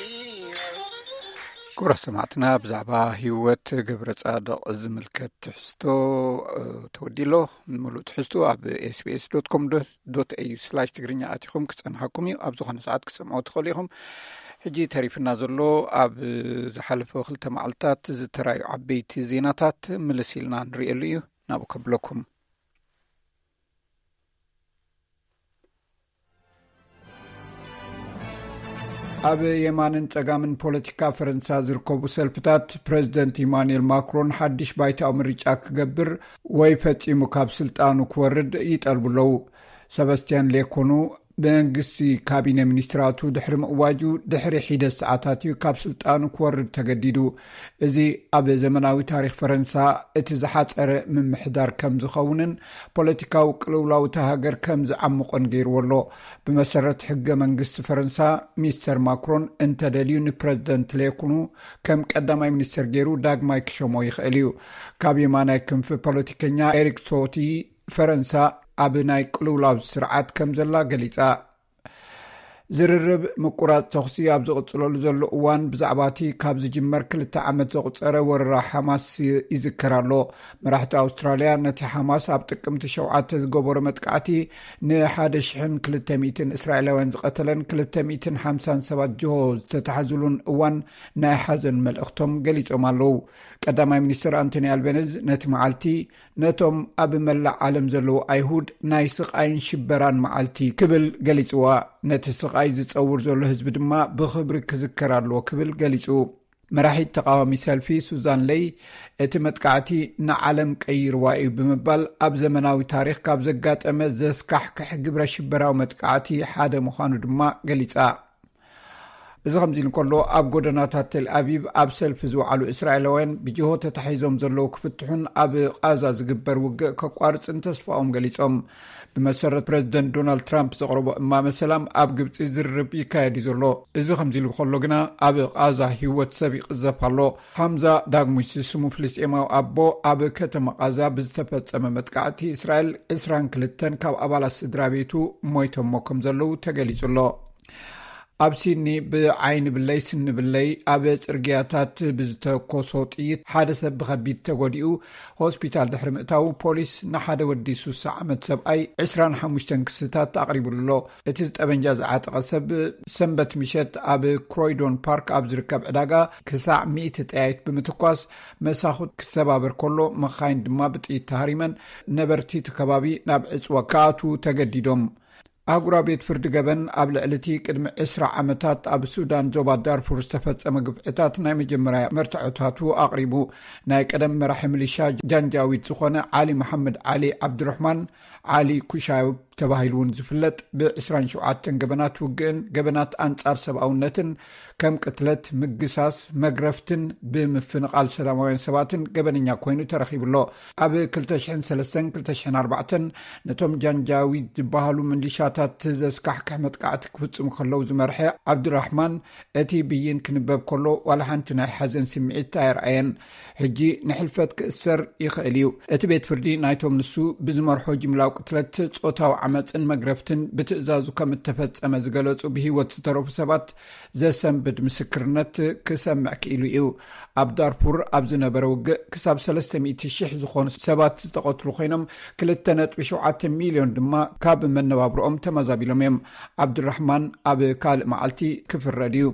ክቡራት ሰማዕትና፣ ብዛዕባ ህይወት ገብረ ጻድቕ ዝምልከት ትሕዝቶ ተወዲሎ። ምሉእ ትሕዝቶ ኣብ ኤስቢኤስ ዶት ኮም ዶት ኤዩ ስላሽ ትግርኛ ኣቲኹም ክጸንሓኩም እዩ። ኣብ ዝኾነ ሰዓት ክትሰምዑ ትኽእሉ ኢኹም። ሕጂ ተሪፍና ዘሎ ኣብ ዝሓለፈ ክልተ መዓልታት ዝተራዩ ዓበይቲ ዜናታት ምልስ ኢልና ንርእየሉ እዩ። ናብኡ ከብለኩም። ኣብ የማንን ጸጋምን ፖለቲካ ፈረንሳ ዝርከቡ ሰልፍታት፣ ፕረዚደንት ኢማኑኤል ማክሮን ሓድሽ ባይታዊ ምርጫ ክገብር ወይ ፈጺሙ ካብ ስልጣኑ ክወርድ ይጠልቡ ኣለዉ። ሰባስቲያን ሌኮኑ፣ መንግስቲ ካቢነ ሚኒስትራቱ ድሕሪ ምእዋጁ ድሕሪ ሒደት ሰዓታት እዩ ካብ ስልጣኑ ክወርድ ተገዲዱ። እዚ ኣብ ዘመናዊ ታሪኽ ፈረንሳ እቲ ዝሓጸረ ምምሕዳር ከም ዝኸውንን ፖለቲካዊ ቅልውላው እታ ሃገር ከም ዝዓምቖን ገይርዎ ኣሎ። ብመሰረት ሕገ መንግስቲ ፈረንሳ፣ ሚስተር ማክሮን እንተደልዩ ንፕረዚደንት ሌኩኑ ከም ቀዳማይ ሚኒስተር ገይሩ ዳግማይ ክሸሞ ይኽእል እዩ። ካብ የማናይ ክንፊ ፖለቲከኛ ኤሪክ ሶቲ፣ ፈረንሳ ኣብ ናይ ቅልውላው ስርዓት ከም ዘላ ገሊጻ። ዝርርብ ምቁራጽ ተኹሲ ኣብ ዝቕጽለሉ ዘሎ እዋን፣ ብዛዕባ እቲ ካብ ዝጅመር ክልተ ዓመት ዘቑጸረ ወረራ ሓማስ ይዝከር ኣሎ። መራሕቲ ኣውስትራልያ ነቲ ሓማስ ኣብ ጥቅምቲ ሸውዓተ ዝገበሮ መጥቃዕቲ ንሓደ ሽሕን ክልተ ሚእትን እስራኤላውያን ዝቐተለን ክልተ ሚእትን ሓምሳን ሰባት ጅሆ ዝተታሕዝሉን እዋን ናይ ሓዘን መልእኽቶም ገሊጾም ኣለዉ። ቀዳማይ ሚኒስትር ኣንቶኒ ኣልቤነዝ ነቲ መዓልቲ ነቶም ኣብ መላእ ዓለም ዘለዉ ኣይሁድ ናይ ስቓይን ሽበራን መዓልቲ ክብል ገሊጽዋ። ነቲ ስቓይ ዝጸውር ዘሎ ህዝቢ ድማ ብኽብሪ ክዝከር ኣለዎ ክብል ገሊጹ። መራሒት ተቓዋሚ ሰልፊ ሱዛን ለይ፣ እቲ መጥቃዕቲ ንዓለም ቀይርዋ እዩ ብምባል፣ ኣብ ዘመናዊ ታሪኽ ካብ ዘጋጠመ ዘስካሕክሕ ግብረ ሽበራዊ መጥቃዕቲ ሓደ ምዃኑ ድማ ገሊጻ። እዚ ከምዚ ኢሉ እንከሎ፣ ኣብ ጎደናታት ቴል ኣቪቭ ኣብ ሰልፊ ዝወዓሉ እስራኤላውያን ብጅሆ ተታሒዞም ዘለዉ ክፍትሑን ኣብ ቓዛ ዝግበር ውግእ ከቋርጽን ተስፋኦም ገሊጾም። ብመሰረት ፕረዚደንት ዶናልድ ትራምፕ ዘቕረቦ እማመ ሰላም፣ ኣብ ግብጺ ዝርርብ ይካየድ እዩ ዘሎ። እዚ ከምዚ ኢሉ ከሎ ግና፣ ኣብ ቓዛ ህይወት ሰብ ይቕዘፍ ኣሎ። ሓምዛ ዳግሙሽ ዝስሙ ፍልስጤማዊ ኣቦ፣ ኣብ ከተማ ቓዛ ብዝተፈጸመ መጥቃዕቲ እስራኤል ዕስራን ክልተን ካብ ኣባላት ስድራ ቤቱ ሞይቶሞ ከም ዘለዉ ተገሊጹ ኣሎ። ኣብ ሲድኒ ብዓይኒ ብለይ ስኒ ብለይ ኣብ ጽርግያታት ብዝተኮሶ ጥይት ሓደ ሰብ ብኸቢድ ተጎዲኡ ሆስፒታል ድሕሪ ምእታዉ፣ ፖሊስ ንሓደ ወዲ ሱሳ ዓመት ሰብኣይ ዕስራን ሓሙሽተን ክስታት ኣቕሪቡሉ ኣሎ። እቲ ጠበንጃ ዝዓጠቐ ሰብ ሰንበት ምሸት ኣብ ክሮይዶን ፓርክ ኣብ ዝርከብ ዕዳጋ ክሳዕ ሚእቲ ጠያይት ብምትኳስ፣ መሳኹት ክሰባበር ከሎ፣ መኻይን ድማ ብጥይት ተሃሪመን፣ ነበርቲ እቲ ከባቢ ናብ ዕጽዋ ክኣትዉ ተገዲዶም። ኣህጉራዊ ቤት ፍርዲ ገበን ኣብ ልዕሊ እቲ ቅድሚ ዕስራ ዓመታት ኣብ ሱዳን ዞባ ዳርፉር ዝተፈጸመ ግፍዕታት ናይ መጀመርያ መርትዖታቱ ኣቕሪቡ። ናይ ቀደም መራሒ ሚሊሻ ጃንጃዊድ ዝኾነ ዓሊ መሓመድ ዓሊ ዓብዱረሕማን ዓሊ ኩሻብ ተባሂሉ እውን ዝፍለጥ ብ27 ገበናት ውግእን ገበናት ኣንጻር ሰብኣውነትን ከም ቅትለት፣ ምግሳስ፣ መግረፍትን ብምፍንቓል ሰላማውያን ሰባትን ገበነኛ ኮይኑ ተረኺቡ ኣሎ። ኣብ 2003-2004 ነቶም ጃንጃዊድ ዝበሃሉ ሚሊሻታት ዘስካሕክሕ መጥቃዕቲ ክፍጽሙ ከለዉ ዝመርሐ ዓብዱራሕማን እቲ ብይን ክንበብ ከሎ ዋላ ሓንቲ ናይ ሓዘን ስምዒት ኣየርኣየን። ሕጂ ንሕልፈት ክእሰር ይኽእል እዩ። እቲ ቤት ፍርዲ ናይቶም ንሱ ብዝመርሖ ጅምላዊ ቅትለት፣ ጾታዊ ዓመፅን መግረፍትን ብትእዛዙ ከም እተፈጸመ ዝገለጹ ብህይወት ዝተረፉ ሰባት ዘሰንብድ ምስክርነት ክሰምዕ ክኢሉ እዩ። ኣብ ዳርፉር ኣብ ዝነበረ ውግእ ክሳብ 300,000 ዝኾኑ ሰባት ዝተቐትሉ ኮይኖም፣ 2.7 ሚልዮን ድማ ካብ መነባብሮኦም ተመዛቢሎም እዮም። ዓብዱራሕማን ኣብ ካልእ መዓልቲ ክፍረድ እዩ።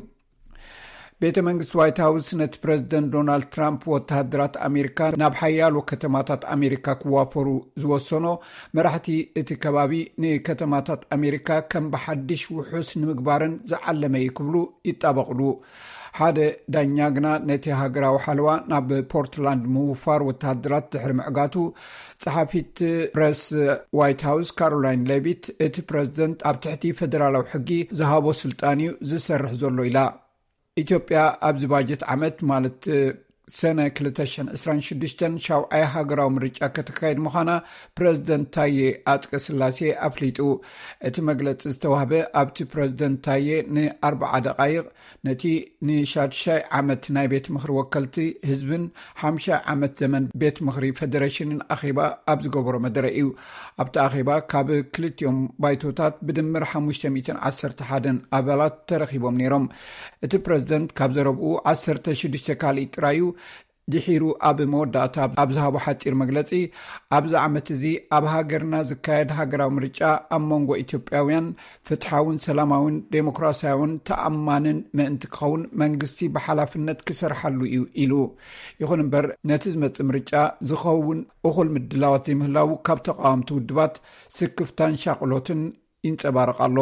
ቤተ መንግስቲ ዋይት ሃውስ ነቲ ፕረዚደንት ዶናልድ ትራምፕ ወተሃደራት ኣሜሪካ ናብ ሓያሎ ከተማታት ኣሜሪካ ክዋፈሩ ዝወሰኖ፣ መራሕቲ እቲ ከባቢ ንከተማታት ኣሜሪካ ከም ብሓድሽ ውሑስ ንምግባርን ዝዓለመ እዩ ክብሉ ይጣበቕሉ። ሓደ ዳኛ ግና ነቲ ሃገራዊ ሓለዋ ናብ ፖርትላንድ ምውፋር ወተሃደራት ድሕሪ ምዕጋቱ፣ ጸሓፊት ፕረስ ዋይት ሃውስ ካሮላይን ሌቪት፣ እቲ ፕረዚደንት ኣብ ትሕቲ ፈደራላዊ ሕጊ ዝሃቦ ስልጣን እዩ ዝሰርሕ ዘሎ ኢላ። ኢትዮጵያ ኣብዚ ባጀት ዓመት፣ ማለት ሰነ 2026፣ ሻውዓይ ሃገራዊ ምርጫ ከተካይድ ምዃና ፕረዚደንት ታዬ ኣጽቀ ስላሴ ኣፍሊጡ። እቲ መግለጺ ዝተዋህበ ኣብቲ ፕረዚደንት ታዬ ንኣርብዓ ደቓይቕ ነቲ ንሻድሻይ ዓመት ናይ ቤት ምኽሪ ወከልቲ ህዝብን ሓምሻይ ዓመት ዘመን ቤት ምኽሪ ፌደሬሽንን ኣኼባ ኣብ ዝገበሮ መደረ እዩ። ኣብቲ ኣኼባ ካብ ክልቲኦም ባይቶታት ብድምር 511 ኣባላት ተረኺቦም ነይሮም። እቲ ፕረዚደንት ካብ ዘረብኡ 16 ካልእ ጥራዩ ድሒሩ ኣብ መወዳእታ ኣብ ዝሃቦ ሓጺር መግለጺ፣ ኣብዚ ዓመት እዚ ኣብ ሃገርና ዝካየድ ሃገራዊ ምርጫ ኣብ መንጎ ኢትዮጵያውያን ፍትሓውን ሰላማውን ዴሞክራሲያውን ተኣማንን ምእንቲ ክኸውን መንግስቲ ብሓላፍነት ክሰርሓሉ እዩ ኢሉ። ይኹን እምበር፣ ነቲ ዝመጽእ ምርጫ ዝኸውን እኹል ምድላዋት ዘይምህላዉ ካብ ተቃወምቲ ውድባት ስክፍታን ሻቕሎትን ይንጸባረቕ ኣሎ።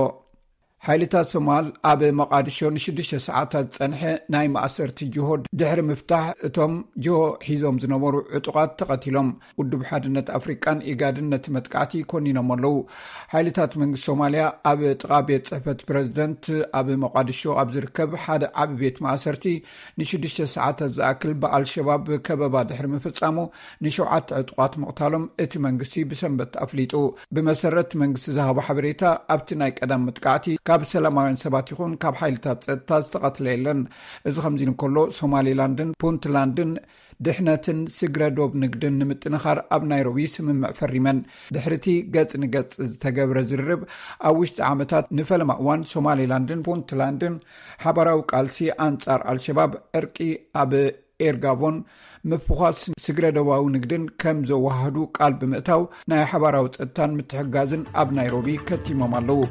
ሓይልታት ሶማል ኣብ መቃድሾ ንሽዱሽተ ሰዓታት ዝጸንሐ ናይ ማእሰርቲ ጅሆ ድሕሪ ምፍታሕ፣ እቶም ጅሆ ሒዞም ዝነበሩ ዕጡቓት ተቐቲሎም። ውድብ ሓድነት ኣፍሪቃን ኢጋድን ነቲ መጥቃዕቲ ኮኒኖም ኣለዉ። ሓይልታት መንግስቲ ሶማልያ ኣብ ጥቓ ቤት ጽሕፈት ፕረዚደንት ኣብ መቃድሾ ኣብ ዝርከብ ሓደ ዓቢ ቤት ማእሰርቲ ንሽዱሽተ ሰዓታት ዝኣክል ብኣልሸባብ ከበባ ድሕሪ ምፍጻሙ፣ ንሸውዓተ ዕጡቓት ምቕታሎም እቲ መንግስቲ ብሰንበት ኣፍሊጡ። ብመሰረት መንግስቲ ዝሃቦ ሓበሬታ፣ ኣብቲ ናይ ቀዳም መጥቃዕቲ ካብ ሰላማውያን ሰባት ይኹን ካብ ሓይልታት ጸጥታ ዝተቐትለ የለን። እዚ ከምዚ እንከሎ፣ ሶማሌላንድን ፑንትላንድን ድሕነትን ስግረ ዶብ ንግድን ንምጥንኻር ኣብ ናይሮቢ ስምምዕ ፈሪመን። ድሕሪቲ ገጽ ንገጽ ዝተገብረ ዝርርብ፣ ኣብ ውሽጢ ዓመታት ንፈለማ እዋን ሶማሌላንድን ፑንትላንድን ሓባራዊ ቃልሲ ኣንጻር ኣልሸባብ፣ ዕርቂ ኣብ ኤርጋቦን ምፍዃስ ስግረ ዶባዊ ንግድን ከም ዘወሃህዱ ቃል ብምእታው፣ ናይ ሓባራዊ ጸጥታን ምትሕጋዝን ኣብ ናይሮቢ ከቲሞም ኣለዉ።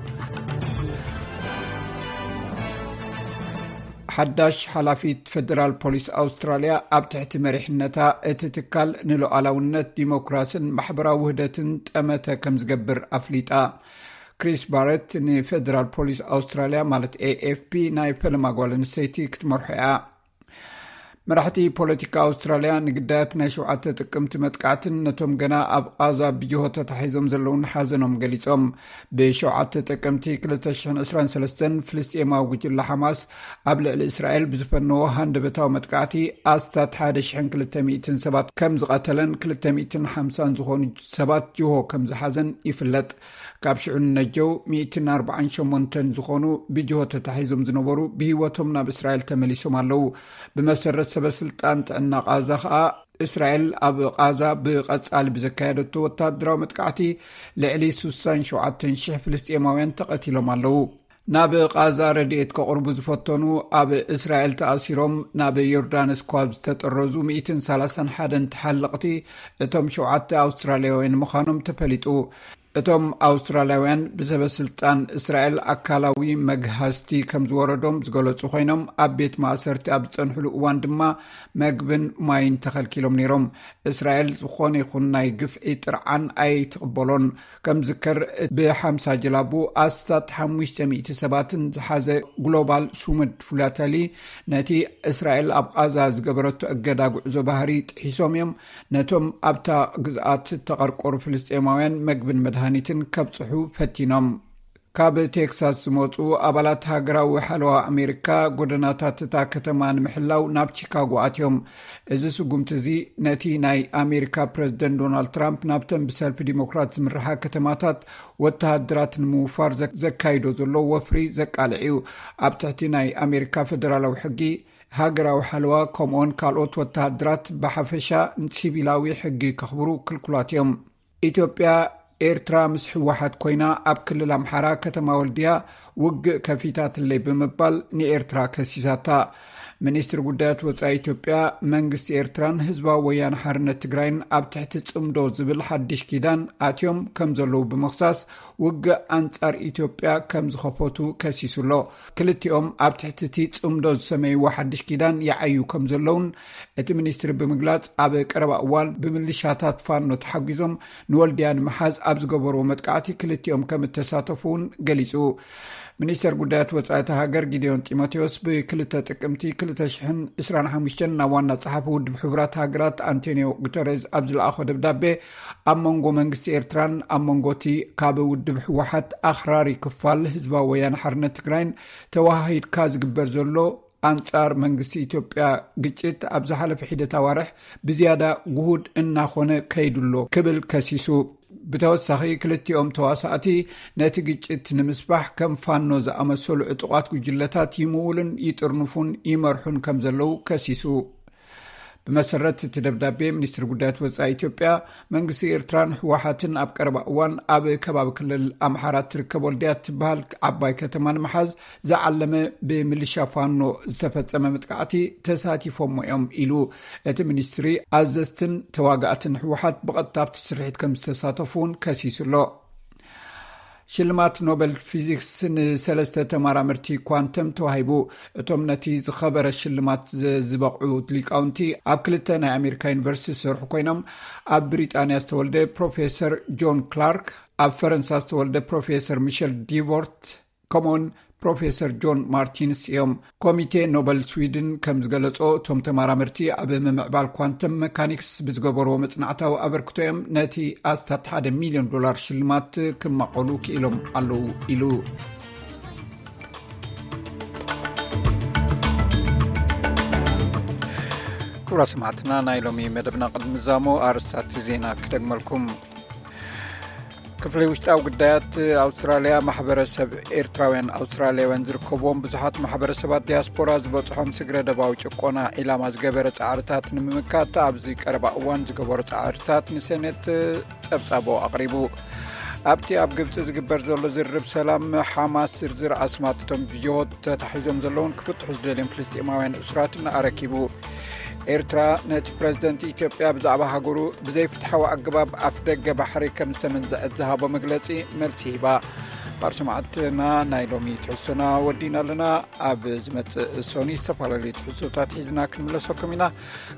ሓዳሽ ሓላፊት ፈደራል ፖሊስ ኣውስትራልያ፣ ኣብ ትሕቲ መሪሕነታ እቲ ትካል ንሉዓላውነት፣ ዲሞክራስን ማሕበራዊ ውህደትን ጠመተ ከም ዝገብር ኣፍሊጣ። ክሪስ ባረት ንፈደራል ፖሊስ ኣውስትራልያ፣ ማለት ኤኤፍፒ፣ ናይ ፈለማ ጓል ኣንስተይቲ ክትመርሖ እያ። መራሕቲ ፖለቲካ ኣውስትራልያ ንግዳያት ናይ ሸውዓተ ጥቅምቲ መጥቃዕትን ነቶም ገና ኣብ ቓዛ ብጅሆ ተታሒዞም ዘለውን ሓዘኖም ገሊጾም። ብ7 ጥቅምቲ 2023፣ ፍልስጤማዊ ጉጅለ ሓማስ ኣብ ልዕሊ እስራኤል ብዝፈነዎ ሃንደበታዊ መጥቃዕቲ ኣስታት 1,200 ሰባት ከም ዝቐተለን 250 ዝኾኑ ሰባት ጅሆ ከም ዝሓዘን ይፍለጥ። ካብ ሽዑ ንነጀው 148 ዝኾኑ ብጅሆ ተታሒዞም ዝነበሩ ብህይወቶም ናብ እስራኤል ተመሊሶም ኣለዉ። ብመሰረት ሰበ ስልጣን ጥዕና ቓዛ ኸኣ፣ እስራኤል ኣብ ቓዛ ብቐጻሊ ብዘካየደቶ ወታደራዊ መጥቃዕቲ ልዕሊ 67,000 ፍልስጤማውያን ተቐቲሎም ኣለዉ። ናብ ቓዛ ረድኤት ከቕርቡ ዝፈተኑ፣ ኣብ እስራኤል ተኣሲሮም ናብ ዮርዳኖስ ካብ ዝተጠረዙ 131 ተሓለቕቲ፣ እቶም ሸውዓተ ኣውስትራልያውያን ምዃኖም ተፈሊጡ። እቶም ኣውስትራልያውያን ብሰበ ስልጣን እስራኤል ኣካላዊ መግሃስቲ ከም ዝወረዶም ዝገለጹ ኮይኖም፣ ኣብ ቤት ማእሰርቲ ኣብ ዝጸንሕሉ እዋን ድማ መግብን ማይን ተኸልኪሎም ነይሮም። እስራኤል ዝኾነ ይኹን ናይ ግፍዒ ጥርዓን ኣይትቕበሎን። ከም ዝከር፣ ብ50 ጀላቡ ኣስታት 500 ሰባትን ዝሓዘ ግሎባል ሱሙድ ፍላተሊ፣ ነቲ እስራኤል ኣብ ቓዛ ዝገበረቶ እገዳ ጉዕዞ ባህሪ ጥሒሶም እዮም፣ ነቶም ኣብታ ግዝኣት እተቐርቆሩ ፍልስጤማውያን መግብን መድሃ መድሃኒትን ከብጽሑ ፈቲኖም። ካብ ቴክሳስ ዝመጹ ኣባላት ሃገራዊ ሓለዋ ኣሜሪካ፣ ጎደናታት እታ ከተማ ንምሕላው ናብ ቺካጎ ኣትዮም። እዚ ስጉምቲ እዚ ነቲ ናይ ኣሜሪካ ፕረዚደንት ዶናልድ ትራምፕ ናብተን ብሰልፊ ዲሞክራት ዝምርሓ ከተማታት ወተሃደራት ንምውፋር ዘ-፣ ዘካይዶ ዘሎ ወፍሪ ዘቃልዕ እዩ። ኣብ ትሕቲ ናይ ኣሜሪካ ፈደራላዊ ሕጊ፣ ሃገራዊ ሓለዋ ከምኡውን ካልኦት ወተሃደራት ብሓፈሻ ሲቪላዊ ሕጊ ከኽብሩ ክልኩላት እዮም። ኢትዮጵያ፣ ኤርትራ ምስ ህወሓት ኮይና ኣብ ክልል ኣምሓራ ከተማ ወልድያ ውግእ ከፊታትለይ ብምባል ንኤርትራ ከሲሳታ። ሚኒስትሪ ጉዳያት ወጻኢ ኢትዮጵያ፣ መንግስቲ ኤርትራን ህዝባዊ ወያነ ሓርነት ትግራይን ኣብ ትሕቲ ጽምዶ ዝብል ሓድሽ ኪዳን ኣትዮም ከም ዘለዉ ብምኽሳስ፣ ውግእ ኣንጻር ኢትዮጵያ ከም ዝኸፈቱ ከሲሱ ኣሎ። ክልቲኦም ኣብ ትሕቲ እቲ ጽምዶ ዝሰመይዎ ሓድሽ ኪዳን ይዓዩ ከም ዘለውን እቲ ሚኒስትሪ ብምግላጽ፣ ኣብ ቀረባ እዋን ብምልሻታት ፋኖ ተሓጒዞም ንወልድያ ንምሓዝ ኣብ ዝገበርዎ መጥቃዕቲ ክልቲኦም ከም እተሳተፉ እውን ገሊጹ። ሚኒስተር ጉዳያት ወጻኢ እታ ሃገር ጊዴዮን ጢሞቴዎስ ብ2 ጥቅምቲ ክልተ ሽሕን ዕስራን ሓሙሽተን ናብ ዋና ጸሓፊ ውድብ ሕቡራት ሃገራት ኣንቶኒዮ ጉተሬዝ ኣብ ዝለኣኾ ደብዳቤ፣ ኣብ መንጎ መንግስቲ ኤርትራን ኣብ መንጎ እቲ ካብ ውድብ ህወሓት ኣኽራሪ ክፋል ህዝባዊ ወያነ ሓርነት ትግራይን ተወሃሂድካ ዝግበር ዘሎ ኣንጻር መንግስቲ ኢትዮጵያ ግጭት ኣብ ዝሓለፈ ሒደት ኣዋርሕ ብዝያዳ ጉሁድ እናኾነ ከይዱ ኣሎ ክብል ከሲሱ። ብተወሳኺ ክልቲኦም ተዋሳእቲ ነቲ ግጭት ንምስፋሕ ከም ፋኖ ዝኣመሰሉ ዕጡቓት ጉጅለታት ይምውሉን ይጥርንፉን ይመርሑን ከም ዘለዉ ከሲሱ። ብመሰረት እቲ ደብዳቤ፣ ሚኒስትሪ ጉዳያት ወጻኢ ኢትዮጵያ፣ መንግስቲ ኤርትራን ህወሓትን ኣብ ቀረባ እዋን ኣብ ከባቢ ክልል ኣምሓራ ትርከብ ወልድያ ትበሃል ዓባይ ከተማ ንምሓዝ ዝዓለመ ብምልሻ ፋኖ ዝተፈጸመ መጥቃዕቲ ተሳቲፎሞ እዮም ኢሉ። እቲ ሚኒስትሪ፣ ኣዘዝትን ተዋጋእትን ህወሓት ብቐጥታ ኣብቲ ስርሒት ከም ዝተሳተፉ እውን ከሲሱ ኣሎ። ሽልማት ኖበል ፊዚክስ ንሰለስተ ተመራመርቲ ኳንተም ተዋሂቡ። እቶም ነቲ ዝኸበረ ሽልማት ዝ-፣ ዝበቕዑ ሊቃውንቲ፣ ኣብ ክልተ ናይ ኣሜሪካ ዩኒቨርሲቲ ዝሰርሑ ኮይኖም፣ ኣብ ብሪጣንያ ዝተወልደ ፕሮፌሰር ጆን ክላርክ፣ ኣብ ፈረንሳ ዝተወልደ ፕሮፌሰር ሚሸል ዲቮርት፣ ከምኡውን ፕሮፌሰር ጆን ማርቲንስ እዮም። ኮሚቴ ኖበል ስዊድን ከም ዝገለጾ፣ እቶም ተመራመርቲ ኣብ ምምዕባል ኳንተም መካኒክስ ብዝገበርዎ መጽናዕታዊ ኣበርክቶ እዮም ነቲ ኣስታት ሓደ ሚልዮን ዶላር ሽልማት ክማቐሉ ክኢሎም ኣለዉ ኢሉ። ክቡራት ሰማዕትና፣ ናይ ሎሚ መደብና ቅድሚ ምዛሙ ኣርእስታት ዜና ክደግመልኩም። ክፍሊ ውሽጣዊ ጉዳያት ኣውስትራልያ፣ ማሕበረሰብ ኤርትራውያን ኣውስትራልያውያን ዝርከብዎም ብዙሓት ማሕበረሰባት ዲያስፖራ ዝበጽሖም ስግረ ደባዊ ጭቆና ዒላማ ዝገበረ ጻዕርታት ንምምካት ኣብዚ ቀረባ እዋን ዝገበሮ ጻዕርታት ንሴኔት ጸብጻቦ ኣቕሪቡ። ኣብቲ ኣብ ግብጺ ዝግበር ዘሎ ዝርርብ ሰላም፣ ሓማስ ዝርዝር ኣስማት እቶም ብጅሆት ተታሒዞም ዘለውን ክፍትሑ ዝደልዮም ፍልስጤማውያን እሱራትን ኣረኪቡ። ኤርትራ ነቲ ፕረዚደንት ኢትዮጵያ ብዛዕባ ሃገሩ ብዘይፍትሓዊ ኣገባብ ኣፍ ደገ ባሕሪ ከም ዝተመንዘዐት ዝሃቦ መግለጺ መልሲ ሂባ። ባር ሰማዕትና፣ ናይ ሎሚ ትሕዝቶና ወዲና ኣለና። ኣብ ዝመጽእ ሶኒ ዝተፈላለዩ ትሕዝቶታት ሒዝና ክንምለሰኩም ኢና።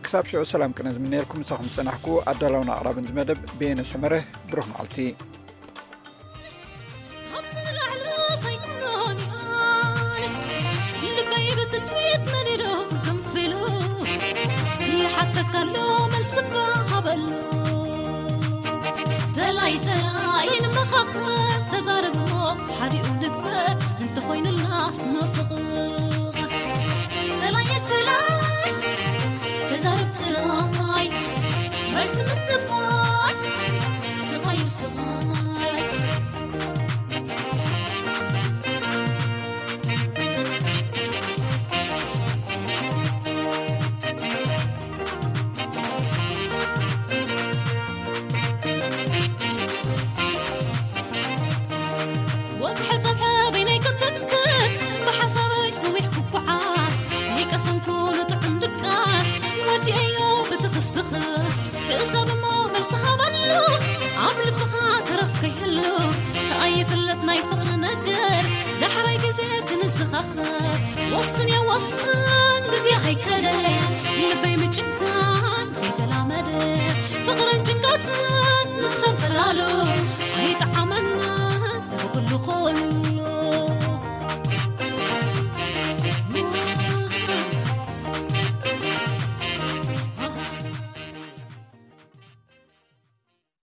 ክሳብ ሽዑ ሰላም ቅነ ዝምነየልኩም፣ ምሳኹም ዝጸናሕኩ ኣዳላውን ኣቕራብን ዝመደብ በየነ ሰመረ። ብሩኽ መዓልቲ። ኣብዚ ንላዕሊ ኣይኮኖን ኢኣል፣ ልበይ ብትጽቢት መሊሉ ክንፊሉ ይሓተካ ኣሎ፣ መልሲ እባ ሃበሉ። ተላይ ተላይ ንመኻኸር፣ ተዛረብ እሞ ሓዲኡ ንግበር፣ እንተኾይኑላስ ንፍቕር። ተላይ ተላይ ተዛረብ ተላይ፣ መልሲ ምጽባይ ስቓዩ ስቓይ። ወግሐ ጸብሐ በይነይ ክትንክስ፣ ብሓሳበይ ነዊሕ ክጓዓዝ፣ ይቀሰንኩ ንጥዑም ድቃስ፣ ወዲኤዮ ብትኽስ ትኽስ። ሕሰብ እሞ መልሲ ሃበሉ፣ ኣብ ልብኻ ተረፍ ከይህሉ። ከኣ ይፍለጥ ናይ ፍቕሪ ነገር፣ ዳሕራይ ግዜ ክንዘኻኸር። ወስን እየ ወስን፣ ግዜ ከይከደ፣